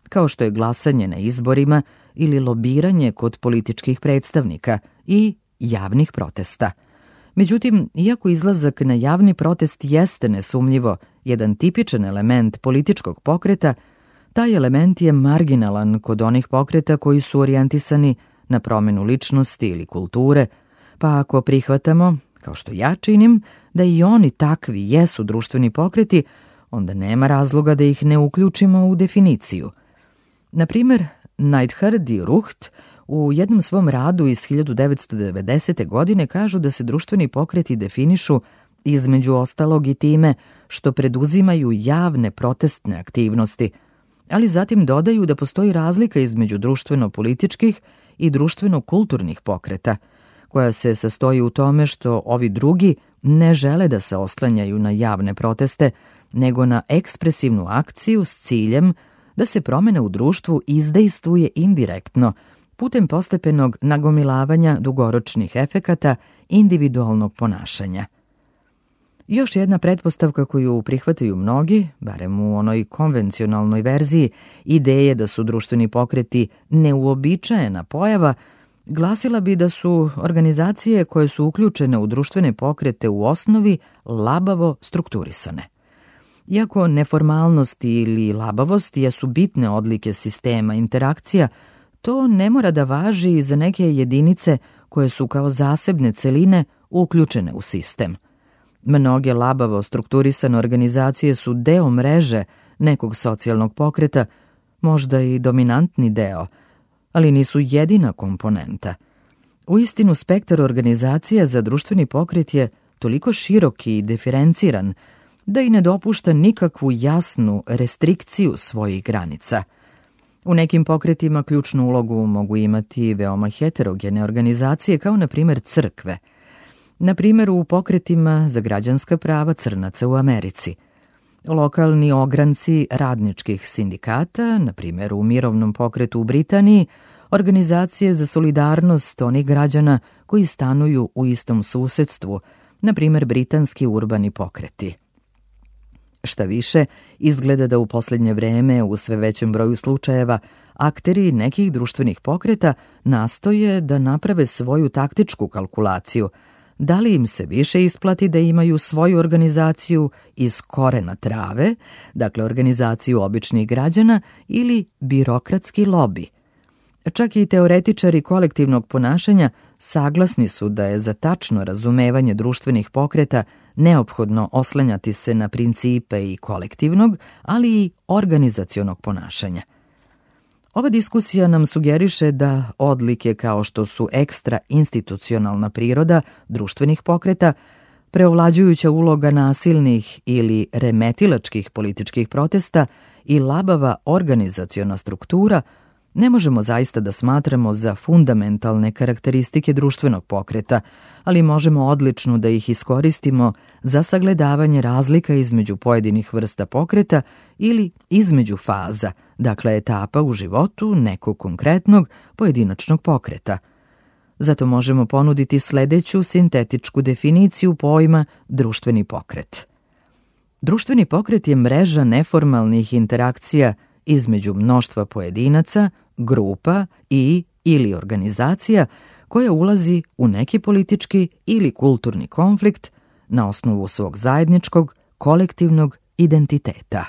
kao što je glasanje na izborima ili lobiranje kod političkih predstavnika, i javnih protesta. Međutim, iako izlazak na javni protest jeste nesumnjivo jedan tipičan element političkog pokreta, taj element je marginalan kod onih pokreta koji su orijentisani na promenu ličnosti ili kulture, pa ako prihvatamo, kao što ja činim, da i oni takvi jesu društveni pokreti, onda nema razloga da ih ne uključimo u definiciju. Na primjer, Neidhardt i Rucht u jednom svom radu iz 1990. godine kažu da se društveni pokreti definišu između ostalog i time što preduzimaju javne protestne aktivnosti, ali zatim dodaju da postoji razlika između društveno-političkih i društveno-kulturnih pokreta, koja se sastoji u tome što ovi drugi ne žele da se oslanjaju na javne proteste, nego na ekspresivnu akciju s ciljem da se promena u društvu izdejstvuje indirektno, putem postepenog nagomilavanja dugoročnih efekata individualnog ponašanja. Još jedna pretpostavka koju prihvataju mnogi, barem u onoj konvencionalnoj verziji, ideje da su društveni pokreti neuobičajena pojava, glasila bi da su organizacije koje su uključene u društvene pokrete u osnovi labavo strukturisane. Iako neformalnost ili labavost jesu bitne odlike sistema interakcija, to ne mora da važi i za neke jedinice koje su kao zasebne celine uključene u sistem. Mnoge labavo strukturisane organizacije su deo mreže nekog socijalnog pokreta, možda i dominantni deo, ali nisu jedina komponenta. Uistinu, spektar organizacija za društveni pokret je toliko širok i diferenciran da i ne dopušta nikakvu jasnu restrikciju svojih granica. U nekim pokretima ključnu ulogu mogu imati veoma heterogene organizacije, kao na primjer crkve. Na primjer, u pokretima za građanska prava crnaca u Americi. Lokalni ogranci radničkih sindikata, na primjer u mirovnom pokretu u Britaniji, organizacije za solidarnost onih građana koji stanuju u istom susedstvu, na primjer britanski urbani pokreti. Šta više, izgleda da u posljednje vreme u sve većem broju slučajeva akteri nekih društvenih pokreta nastoje da naprave svoju taktičku kalkulaciju, da li im se više isplati da imaju svoju organizaciju iz korena trave, dakle organizaciju običnih građana, ili birokratski lobi. Čak i teoretičari kolektivnog ponašanja saglasni su da je za tačno razumevanje društvenih pokreta neophodno oslanjati se na principe i kolektivnog, ali i organizacionog ponašanja. Ova diskusija nam sugeriše da odlike kao što su ekstra institucionalna priroda društvenih pokreta, preovlađujuća uloga nasilnih ili remetilačkih političkih protesta i labava organizaciona struktura ne možemo zaista da smatramo za fundamentalne karakteristike društvenog pokreta, ali možemo odlično da ih iskoristimo za sagledavanje razlika između pojedinih vrsta pokreta ili između faza, dakle etapa u životu nekog konkretnog pojedinačnog pokreta. Zato možemo ponuditi sledeću sintetičku definiciju pojma društveni pokret. Društveni pokret je mreža neformalnih interakcija između mnoštva pojedinaca, grupa ili organizacija koja ulazi u neki politički ili kulturni konflikt na osnovu svog zajedničkog, kolektivnog identiteta.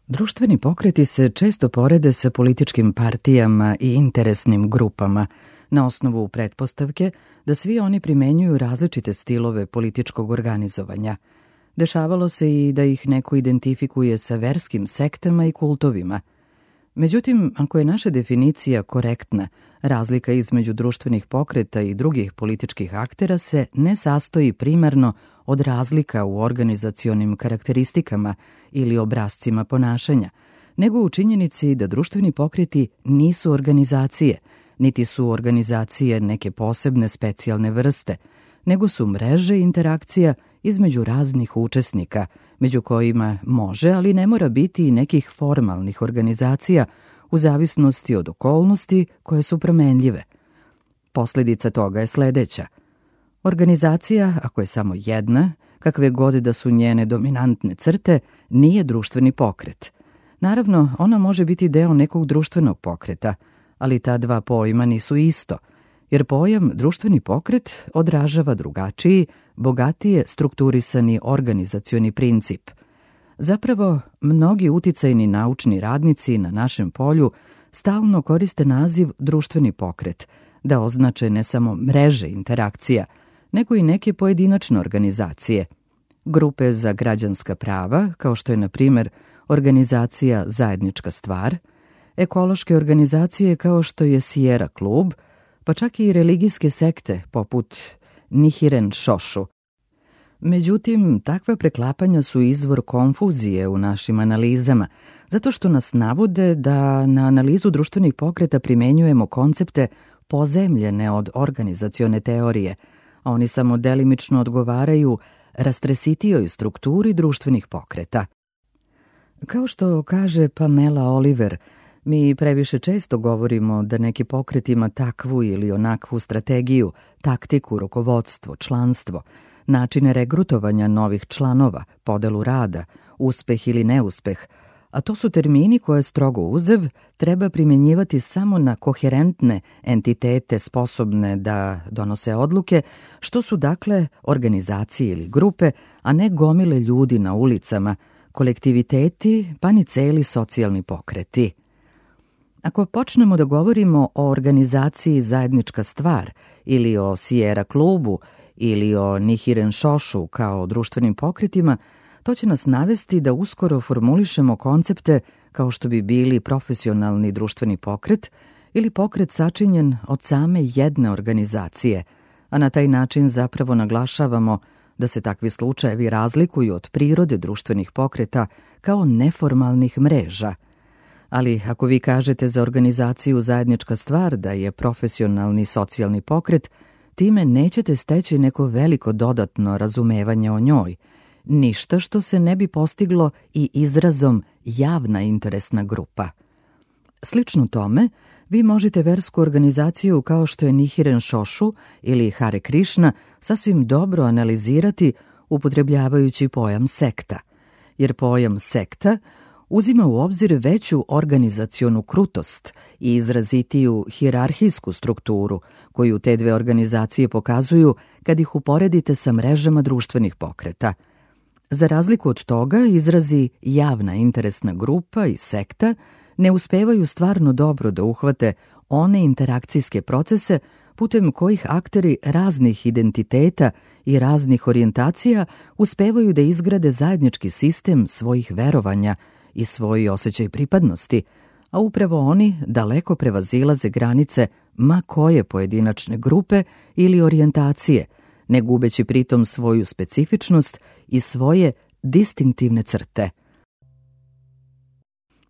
Društveni pokreti se često porede sa političkim partijama i interesnim grupama na osnovu pretpostavke da svi oni primenjuju različite stilove političkog organizovanja. Dešavalo se i da ih neko identifikuje sa verskim sektama i kultovima. Međutim, ako je naša definicija korektna, razlika između društvenih pokreta i drugih političkih aktera se ne sastoji primarno od razlika u organizacionim karakteristikama ili obrascima ponašanja, nego u činjenici da društveni pokreti nisu organizacije, niti su organizacije neke posebne specijalne vrste, nego su mreže interakcija između raznih učesnika, među kojima može, ali ne mora biti i nekih formalnih organizacija u zavisnosti od okolnosti koje su promenljive. Posljedica toga je sledeća. Organizacija, ako je samo jedna, kakve god da su njene dominantne crte, nije društveni pokret. Naravno, ona može biti deo nekog društvenog pokreta, ali ta dva pojma nisu isto, jer pojam društveni pokret odražava drugačiji, bogatije strukturisani organizacioni princip. Zapravo, mnogi uticajni naučni radnici na našem polju stalno koriste naziv društveni pokret, da označe ne samo mreže interakcija, nego i neke pojedinačne organizacije. Grupe za građanska prava, kao što je, na primer, organizacija Zajednička stvar, ekološke organizacije kao što je Sierra klub, pa čak i religijske sekte poput Nichiren Shoshu. Međutim, takva preklapanja su izvor konfuzije u našim analizama, zato što nas navode da na analizu društvenih pokreta primenjujemo koncepte pozemljene od organizacione teorije, a oni samo delimično odgovaraju rastresitijoj strukturi društvenih pokreta. Kao što kaže Pamela Oliver, mi previše često govorimo da neki pokret ima takvu ili onakvu strategiju, taktiku, rukovodstvo, članstvo, načine regrutovanja novih članova, podelu rada, uspeh ili neuspeh, a to su termini koje strogo uzev treba primjenjivati samo na koherentne entitete sposobne da donose odluke, što su dakle organizacije ili grupe, a ne gomile ljudi na ulicama, kolektiviteti pa ni celi socijalni pokreti. Ako počnemo da govorimo o organizaciji Zajednička stvar ili o Sierra klubu ili o Nichiren Shoshu kao društvenim pokretima, to će nas navesti da uskoro formulišemo koncepte kao što bi bili profesionalni društveni pokret ili pokret sačinjen od same jedne organizacije, a na taj način zapravo naglašavamo da se takvi slučajevi razlikuju od prirode društvenih pokreta kao neformalnih mreža. Ali ako vi kažete za organizaciju Zajednička stvar da je profesionalni socijalni pokret, time nećete steći neko veliko dodatno razumevanje o njoj, ništa što se ne bi postiglo i izrazom javna interesna grupa. Slično tome, vi možete versku organizaciju kao što je Nichiren Shoshu ili Hare Krishna sasvim dobro analizirati upotrebljavajući pojam sekta, jer pojam sekta uzima u obzir veću organizacionu krutost i izrazitiju hijerarhijsku strukturu koju te dve organizacije pokazuju kad ih uporedite sa mrežama društvenih pokreta. Za razliku od toga, izrazi javna interesna grupa i sekta ne uspevaju stvarno dobro da uhvate one interakcijske procese putem kojih akteri raznih identiteta i raznih orijentacija uspevaju da izgrade zajednički sistem svojih verovanja i svoj osjećaj pripadnosti, a upravo oni daleko prevazilaze granice ma koje pojedinačne grupe ili orijentacije, ne gubeći pritom svoju specifičnost i svoje distinktivne crte.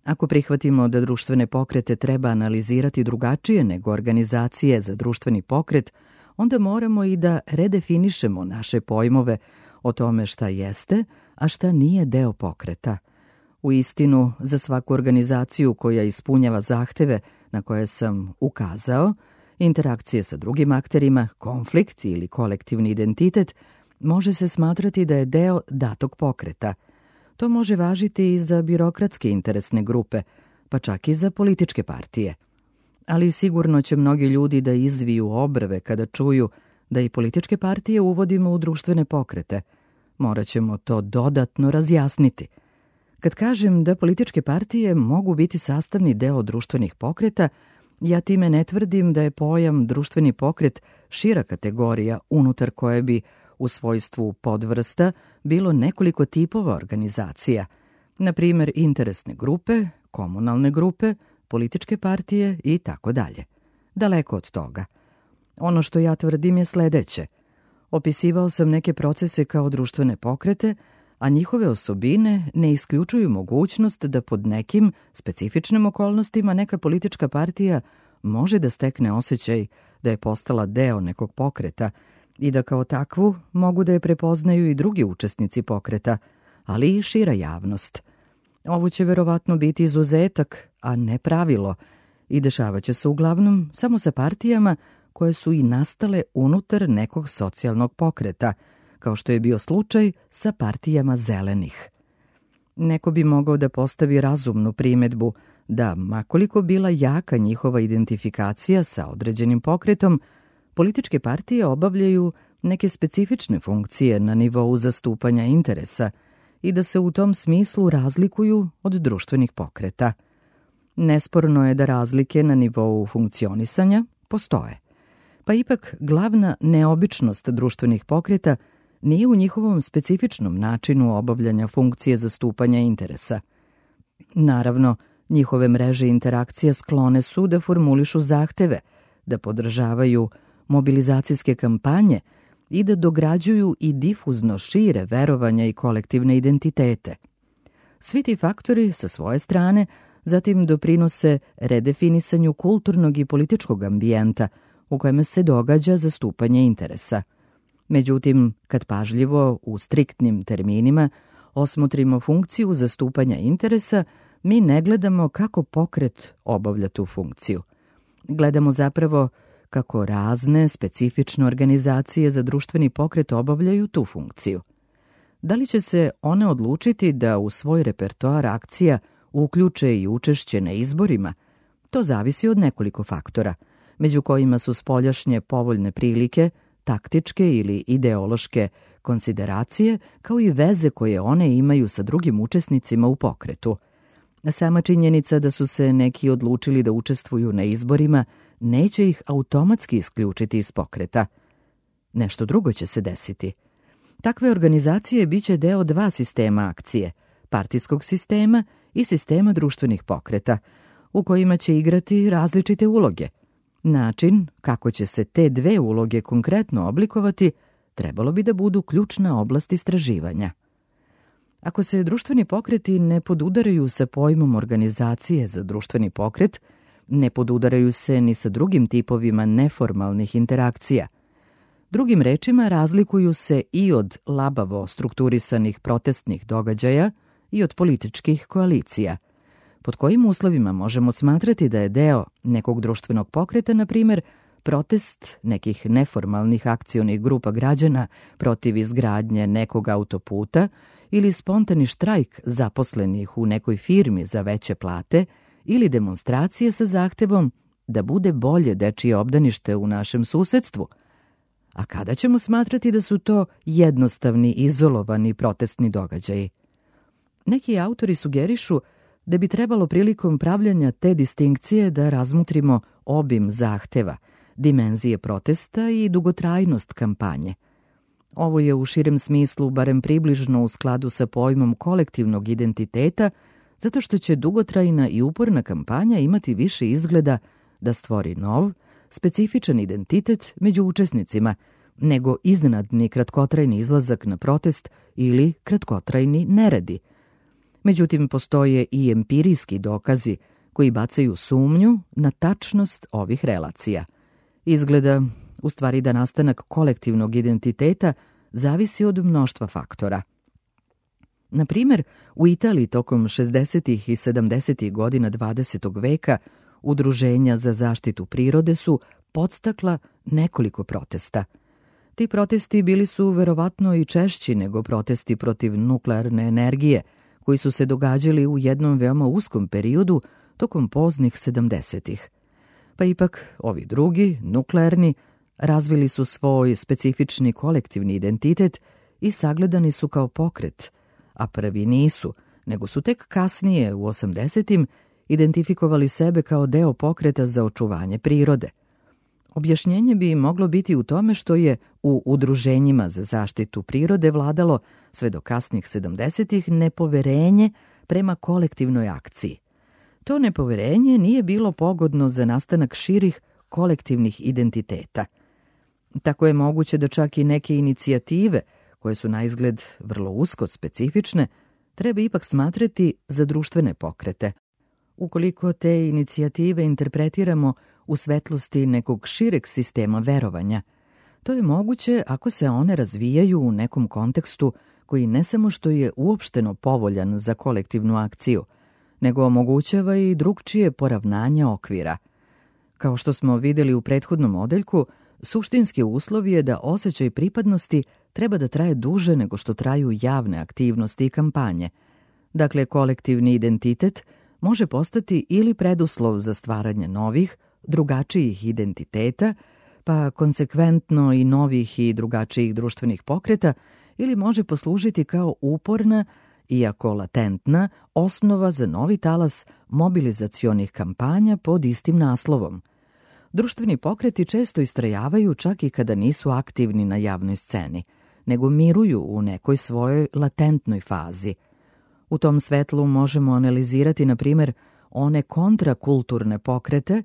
Ako prihvatimo da društvene pokrete treba analizirati drugačije nego organizacije za društveni pokret, onda moramo i da redefinišemo naše pojmove o tome šta jeste, a šta nije deo pokreta. U istinu, za svaku organizaciju koja ispunjava zahteve na koje sam ukazao, Interakcije sa drugim akterima, konflikt ili kolektivni identitet može se smatrati da je deo datog pokreta. To može važiti i za birokratske interesne grupe, pa čak i za političke partije. Ali sigurno će mnogi ljudi da izviju obrve kada čuju da i političke partije uvodimo u društvene pokrete. Morat ćemo to dodatno razjasniti. Kad kažem da političke partije mogu biti sastavni deo društvenih pokreta, ja time ne tvrdim da je pojam društveni pokret šira kategorija unutar koje bi u svojstvu podvrsta bilo nekoliko tipova organizacija, na primjer interesne grupe, komunalne grupe, političke partije i tako dalje. Daleko od toga. Ono što ja tvrdim je sledeće. Opisivao sam neke procese kao društvene pokrete, a njihove osobine ne isključuju mogućnost da pod nekim specifičnim okolnostima neka politička partija može da stekne osjećaj da je postala deo nekog pokreta i da kao takvu mogu da je prepoznaju i drugi učesnici pokreta, ali i šira javnost. Ovo će verovatno biti izuzetak, a ne pravilo, i dešavaće se uglavnom samo sa partijama koje su i nastale unutar nekog socijalnog pokreta, kao što je bio slučaj sa partijama zelenih. Neko bi mogao da postavi razumnu primedbu da, makoliko bila jaka njihova identifikacija sa određenim pokretom, političke partije obavljaju neke specifične funkcije na nivou zastupanja interesa i da se u tom smislu razlikuju od društvenih pokreta. Nesporno je da razlike na nivou funkcionisanja postoje. Pa ipak glavna neobičnost društvenih pokreta nije u njihovom specifičnom načinu obavljanja funkcije zastupanja interesa. Naravno, njihove mreže interakcija sklone su da formulišu zahteve, da podržavaju mobilizacijske kampanje i da dograđuju i difuzno šire verovanja i kolektivne identitete. Svi ti faktori sa svoje strane zatim doprinose redefinisanju kulturnog i političkog ambijenta u kojem se događa zastupanje interesa. Međutim, kad pažljivo, u striktnim terminima, osmotrimo funkciju zastupanja interesa, mi ne gledamo kako pokret obavlja tu funkciju. Gledamo zapravo kako razne, specifične organizacije za društveni pokret obavljaju tu funkciju. Da li će se one odlučiti da u svoj repertoar akcija uključe i učešće na izborima? To zavisi od nekoliko faktora, među kojima su spoljašnje povoljne prilike, taktičke ili ideološke konsideracije, kao i veze koje one imaju sa drugim učesnicima u pokretu. Sama činjenica da su se neki odlučili da učestvuju na izborima neće ih automatski isključiti iz pokreta. Nešto drugo će se desiti. Takve organizacije biće deo dva sistema akcije, partijskog sistema i sistema društvenih pokreta, u kojima će igrati različite uloge. Način kako će se te dve uloge konkretno oblikovati trebalo bi da budu ključna oblast istraživanja. Ako se društveni pokreti ne podudaraju sa pojmom organizacije za društveni pokret, ne podudaraju se ni sa drugim tipovima neformalnih interakcija. Drugim rečima, razlikuju se i od labavo strukturisanih protestnih događaja i od političkih koalicija. Pod kojim uslovima možemo smatrati da je deo nekog društvenog pokreta, na primjer, protest nekih neformalnih akcionih grupa građana protiv izgradnje nekog autoputa ili spontani štrajk zaposlenih u nekoj firmi za veće plate ili demonstracije sa zahtevom da bude bolje dečije obdanište u našem susedstvu. A kada ćemo smatrati da su to jednostavni, izolovani protestni događaji? Neki autori sugerišu da bi trebalo prilikom pravljanja te distinkcije da razmutrimo obim zahteva, dimenzije protesta i dugotrajnost kampanje. Ovo je u širem smislu barem približno u skladu sa pojmom kolektivnog identiteta, zato što će dugotrajna i uporna kampanja imati više izgleda da stvori nov, specifičan identitet među učesnicima, nego iznenadni kratkotrajni izlazak na protest ili kratkotrajni neredi. Međutim, postoje i empirijski dokazi koji bacaju sumnju na tačnost ovih relacija. Izgleda, u stvari, da nastanak kolektivnog identiteta zavisi od mnoštva faktora. Na primjer, u Italiji tokom 60. i 70. godina 20. veka udruženja za zaštitu prirode su podstakla nekoliko protesta. Ti protesti bili su verovatno i češći nego protesti protiv nuklearne energije, koji su se događali u jednom veoma uskom periodu tokom poznih 70-ih. Pa ipak, ovi drugi, nuklearni, razvili su svoj specifični kolektivni identitet i sagledani su kao pokret, a prvi nisu, nego su tek kasnije, u 80-im, identifikovali sebe kao deo pokreta za očuvanje prirode. Objašnjenje bi moglo biti u tome što je u udruženjima za zaštitu prirode vladalo sve do kasnih 70-ih nepoverenje prema kolektivnoj akciji. To nepoverenje nije bilo pogodno za nastanak širih kolektivnih identiteta. Tako je moguće da čak i neke inicijative, koje su na izgled vrlo usko specifične, treba ipak smatrati za društvene pokrete. Ukoliko te inicijative interpretiramo u svetlosti nekog šireg sistema verovanja, to je moguće ako se one razvijaju u nekom kontekstu koji ne samo što je uopšteno povoljan za kolektivnu akciju, nego omogućava i drugčije poravnanje okvira. Kao što smo videli u prethodnom odeljku, suštinski uslov je da osjećaj pripadnosti treba da traje duže nego što traju javne aktivnosti i kampanje. Dakle, kolektivni identitet može postati ili preduslov za stvaranje novih, drugačijih identiteta, pa konsekventno i novih i drugačijih društvenih pokreta, ili može poslužiti kao uporna, iako latentna, osnova za novi talas mobilizacionih kampanja pod istim naslovom. Društveni pokreti često istrajavaju čak i kada nisu aktivni na javnoj sceni, nego miruju u nekoj svojoj latentnoj fazi. U tom svetlu možemo analizirati, na primjer, one kontrakulturne pokrete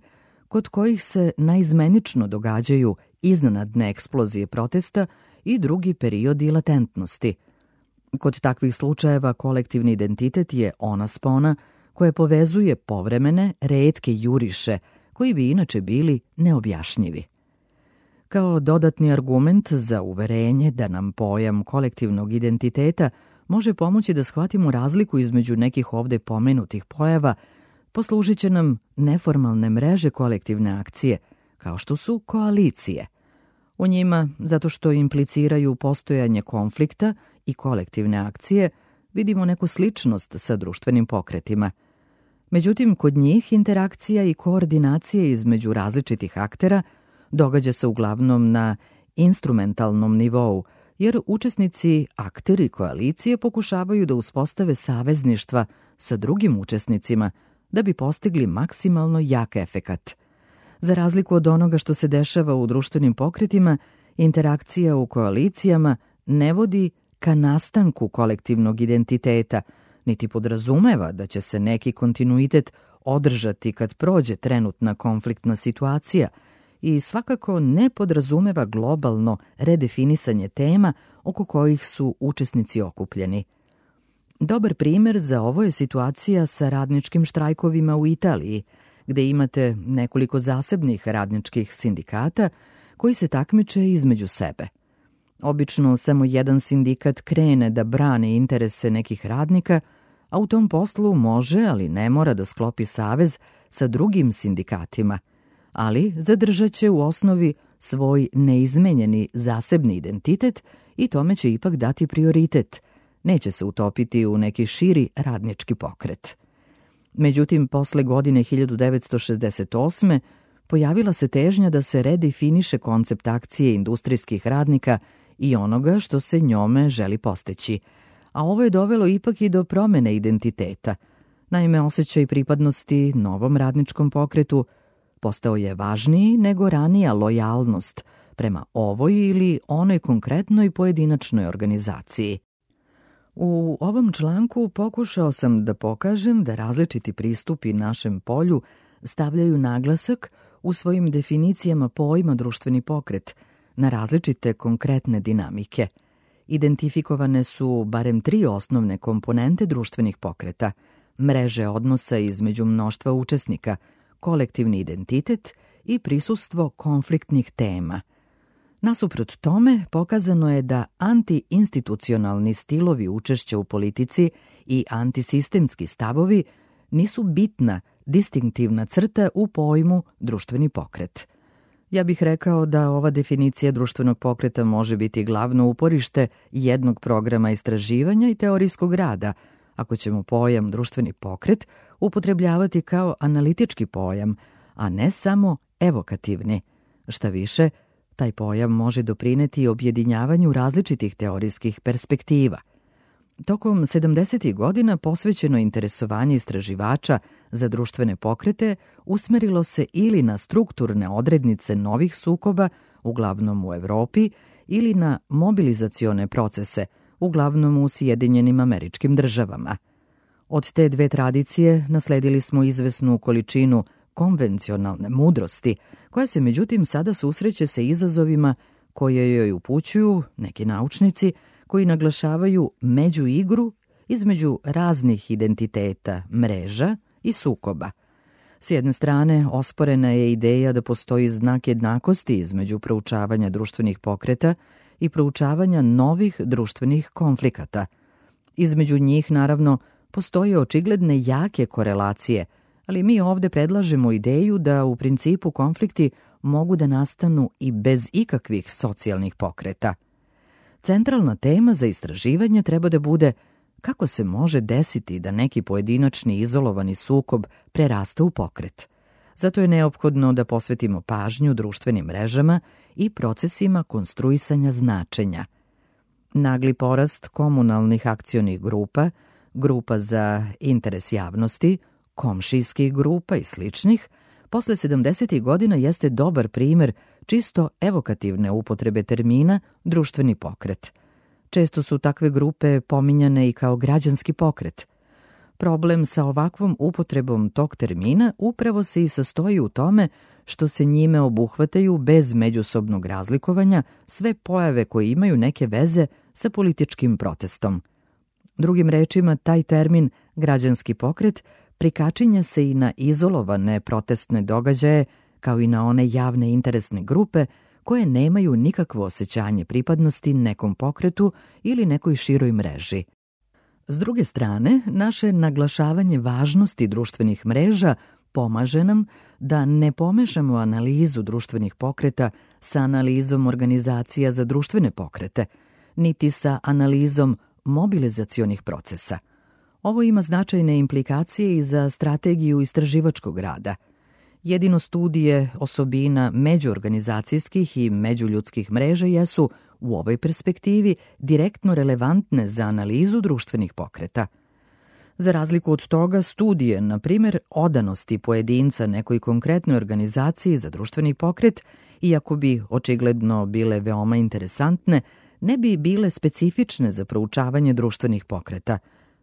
kod kojih se naizmenično događaju iznenadne eksplozije protesta i drugi periodi latentnosti. Kod takvih slučajeva kolektivni identitet je ona spona koja povezuje povremene, retke juriše koji bi inače bili neobjašnjivi. Kao dodatni argument za uverenje da nam pojam kolektivnog identiteta može pomoći da shvatimo razliku između nekih ovde pomenutih pojava, poslužit će nam neformalne mreže kolektivne akcije, kao što su koalicije. U njima, zato što impliciraju postojanje konflikta i kolektivne akcije, vidimo neku sličnost sa društvenim pokretima. Međutim, kod njih interakcija i koordinacija između različitih aktera događa se uglavnom na instrumentalnom nivou, jer učesnici, akteri koalicije pokušavaju da uspostave savezništva sa drugim učesnicima da bi postigli maksimalno jak efekat. Za razliku od onoga što se dešava u društvenim pokretima, interakcija u koalicijama ne vodi ka nastanku kolektivnog identiteta, niti podrazumeva da će se neki kontinuitet održati kad prođe trenutna konfliktna situacija i svakako ne podrazumeva globalno redefinisanje tema oko kojih su učesnici okupljeni. Dobar primer za ovo je situacija sa radničkim štrajkovima u Italiji, gde imate nekoliko zasebnih radničkih sindikata koji se takmiče između sebe. Obično samo jedan sindikat krene da brani interese nekih radnika, a u tom poslu može, ali ne mora da sklopi savez sa drugim sindikatima, ali zadržat će u osnovi svoj neizmenjeni zasebni identitet i tome će ipak dati prioritet. Neće se utopiti u neki širi radnički pokret. Međutim, posle godine 1968. pojavila se težnja da se redefiniše koncept akcije industrijskih radnika i onoga što se njome želi postići, a ovo je dovelo ipak i do promene identiteta. Naime, osjećaj pripadnosti novom radničkom pokretu postao je važniji nego ranija lojalnost prema ovoj ili onoj konkretnoj pojedinačnoj organizaciji. U ovom članku pokušao sam da pokažem da različiti pristupi našem polju stavljaju naglasak u svojim definicijama pojma društveni pokret na različite konkretne dinamike. Identifikovane su barem 3 osnovne komponente društvenih pokreta: mreže odnosa između mnoštva učesnika, kolektivni identitet i prisustvo konfliktnih tema. Nasuprot tome, pokazano je da antiinstitucionalni stilovi učešća u politici i antisistemski stavovi nisu bitna, distinktivna crta u pojmu društveni pokret. Ja bih rekao da ova definicija društvenog pokreta može biti glavno uporište jednog programa istraživanja i teorijskog rada, ako ćemo pojam društveni pokret upotrebljavati kao analitički pojam, a ne samo evokativni. Šta više, taj pojam može doprineti objedinjavanju različitih teorijskih perspektiva. Tokom 70. godina posvećeno interesovanje istraživača za društvene pokrete usmerilo se ili na strukturne odrednice novih sukoba, uglavnom u Evropi, ili na mobilizacione procese, uglavnom u Sjedinjenim Američkim Državama. Od te dve tradicije nasledili smo izvesnu količinu konvencionalne mudrosti, koja se međutim sada susreće sa izazovima koje joj upućuju neki naučnici koji naglašavaju međuigru između raznih identiteta, mreža i sukoba. S jedne strane, osporena je ideja da postoji znak jednakosti između proučavanja društvenih pokreta i proučavanja novih društvenih konflikata. Između njih, naravno, postoje očigledne jake korelacije, ali mi ovde predlažemo ideju da u principu konflikti mogu da nastanu i bez ikakvih socijalnih pokreta. Centralna tema za istraživanje treba da bude kako se može desiti da neki pojedinačni izolovani sukob prerasta u pokret. Zato je neophodno da posvetimo pažnju društvenim mrežama i procesima konstruisanja značenja. Nagli porast komunalnih akcionih grupa, grupa za interes javnosti, komšijskih grupa i sličnih, posle 70. godina jeste dobar primer čisto evokativne upotrebe termina društveni pokret. Često su takve grupe pominjane i kao građanski pokret. Problem sa ovakvom upotrebom tog termina upravo se i sastoji u tome što se njime obuhvataju bez međusobnog razlikovanja sve pojave koje imaju neke veze sa političkim protestom. Drugim rečima, taj termin građanski pokret prikačinja se i na izolovane protestne događaje, kao i na one javne interesne grupe koje nemaju nikakvo osjećanje pripadnosti nekom pokretu ili nekoj široj mreži. S druge strane, naše naglašavanje važnosti društvenih mreža pomaže nam da ne pomešamo analizu društvenih pokreta sa analizom organizacija za društvene pokrete, niti sa analizom mobilizacionih procesa. Ovo ima značajne implikacije i za strategiju istraživačkog rada. Jedino studije osobina međuorganizacijskih i međuljudskih mreža jesu, u ovoj perspektivi, direktno relevantne za analizu društvenih pokreta. Za razliku od toga, studije, na primjer, odanosti pojedinca nekoj konkretnoj organizaciji za društveni pokret, iako bi očigledno bile veoma interesantne, ne bi bile specifične za proučavanje društvenih pokreta,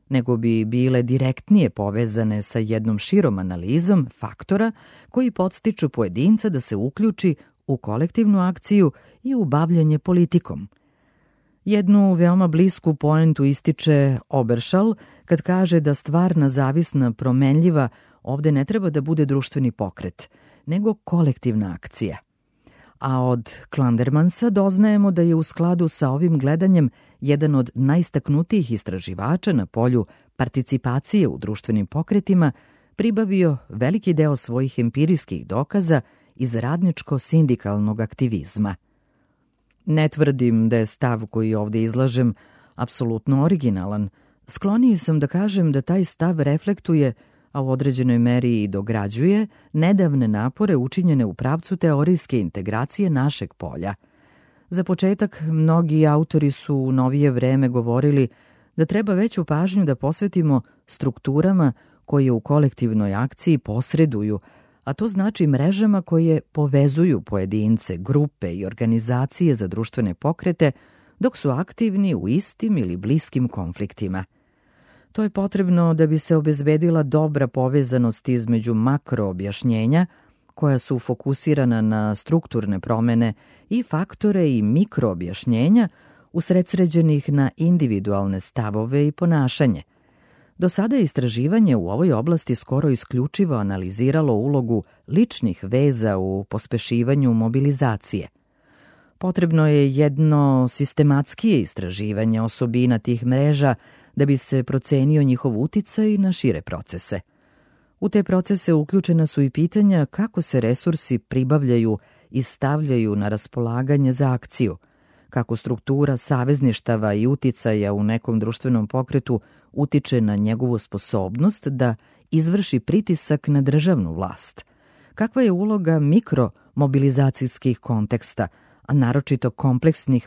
nego bi bile direktnije povezane sa jednom širom analizom faktora koji podstiču pojedinca da se uključi u kolektivnu akciju i u bavljanje politikom. Jednu veoma blisku poentu ističe Oberšal kad kaže da stvarna, zavisna, promenljiva ovde ne treba da bude društveni pokret, nego kolektivna akcija. A od Klandermansa doznajemo da je u skladu sa ovim gledanjem jedan od najistaknutijih istraživača na polju participacije u društvenim pokretima pribavio veliki deo svojih empirijskih dokaza iz radničko-sindikalnog aktivizma. Ne tvrdim da je stav koji ovde izlažem apsolutno originalan. Skloniji sam da kažem da taj stav reflektuje, a u određenoj meri i dograđuje, nedavne napore učinjene u pravcu teorijske integracije našeg polja. Za početak, mnogi autori su u novije vreme govorili da treba veću pažnju da posvetimo strukturama koje u kolektivnoj akciji posreduju, a to znači mrežama koje povezuju pojedince, grupe i organizacije za društvene pokrete, dok su aktivni u istim ili bliskim konfliktima. To je potrebno da bi se obezbedila dobra povezanost između makroobjašnjenja, koja su fokusirana na strukturne promene, i faktore i mikroobjašnjenja usredsređenih na individualne stavove i ponašanje. Do sada je istraživanje u ovoj oblasti skoro isključivo analiziralo ulogu ličnih veza u pospešivanju mobilizacije. Potrebno je jedno sistematskije istraživanje osobina tih mreža da bi se procenio njihov uticaj na šire procese. U te procese uključena su i pitanja kako se resursi pribavljaju i stavljaju na raspolaganje za akciju, kako struktura savezništava i uticaja u nekom društvenom pokretu utiče na njegovu sposobnost da izvrši pritisak na državnu vlast, kakva je uloga mikromobilizacijskih konteksta, a naročito kompleksnih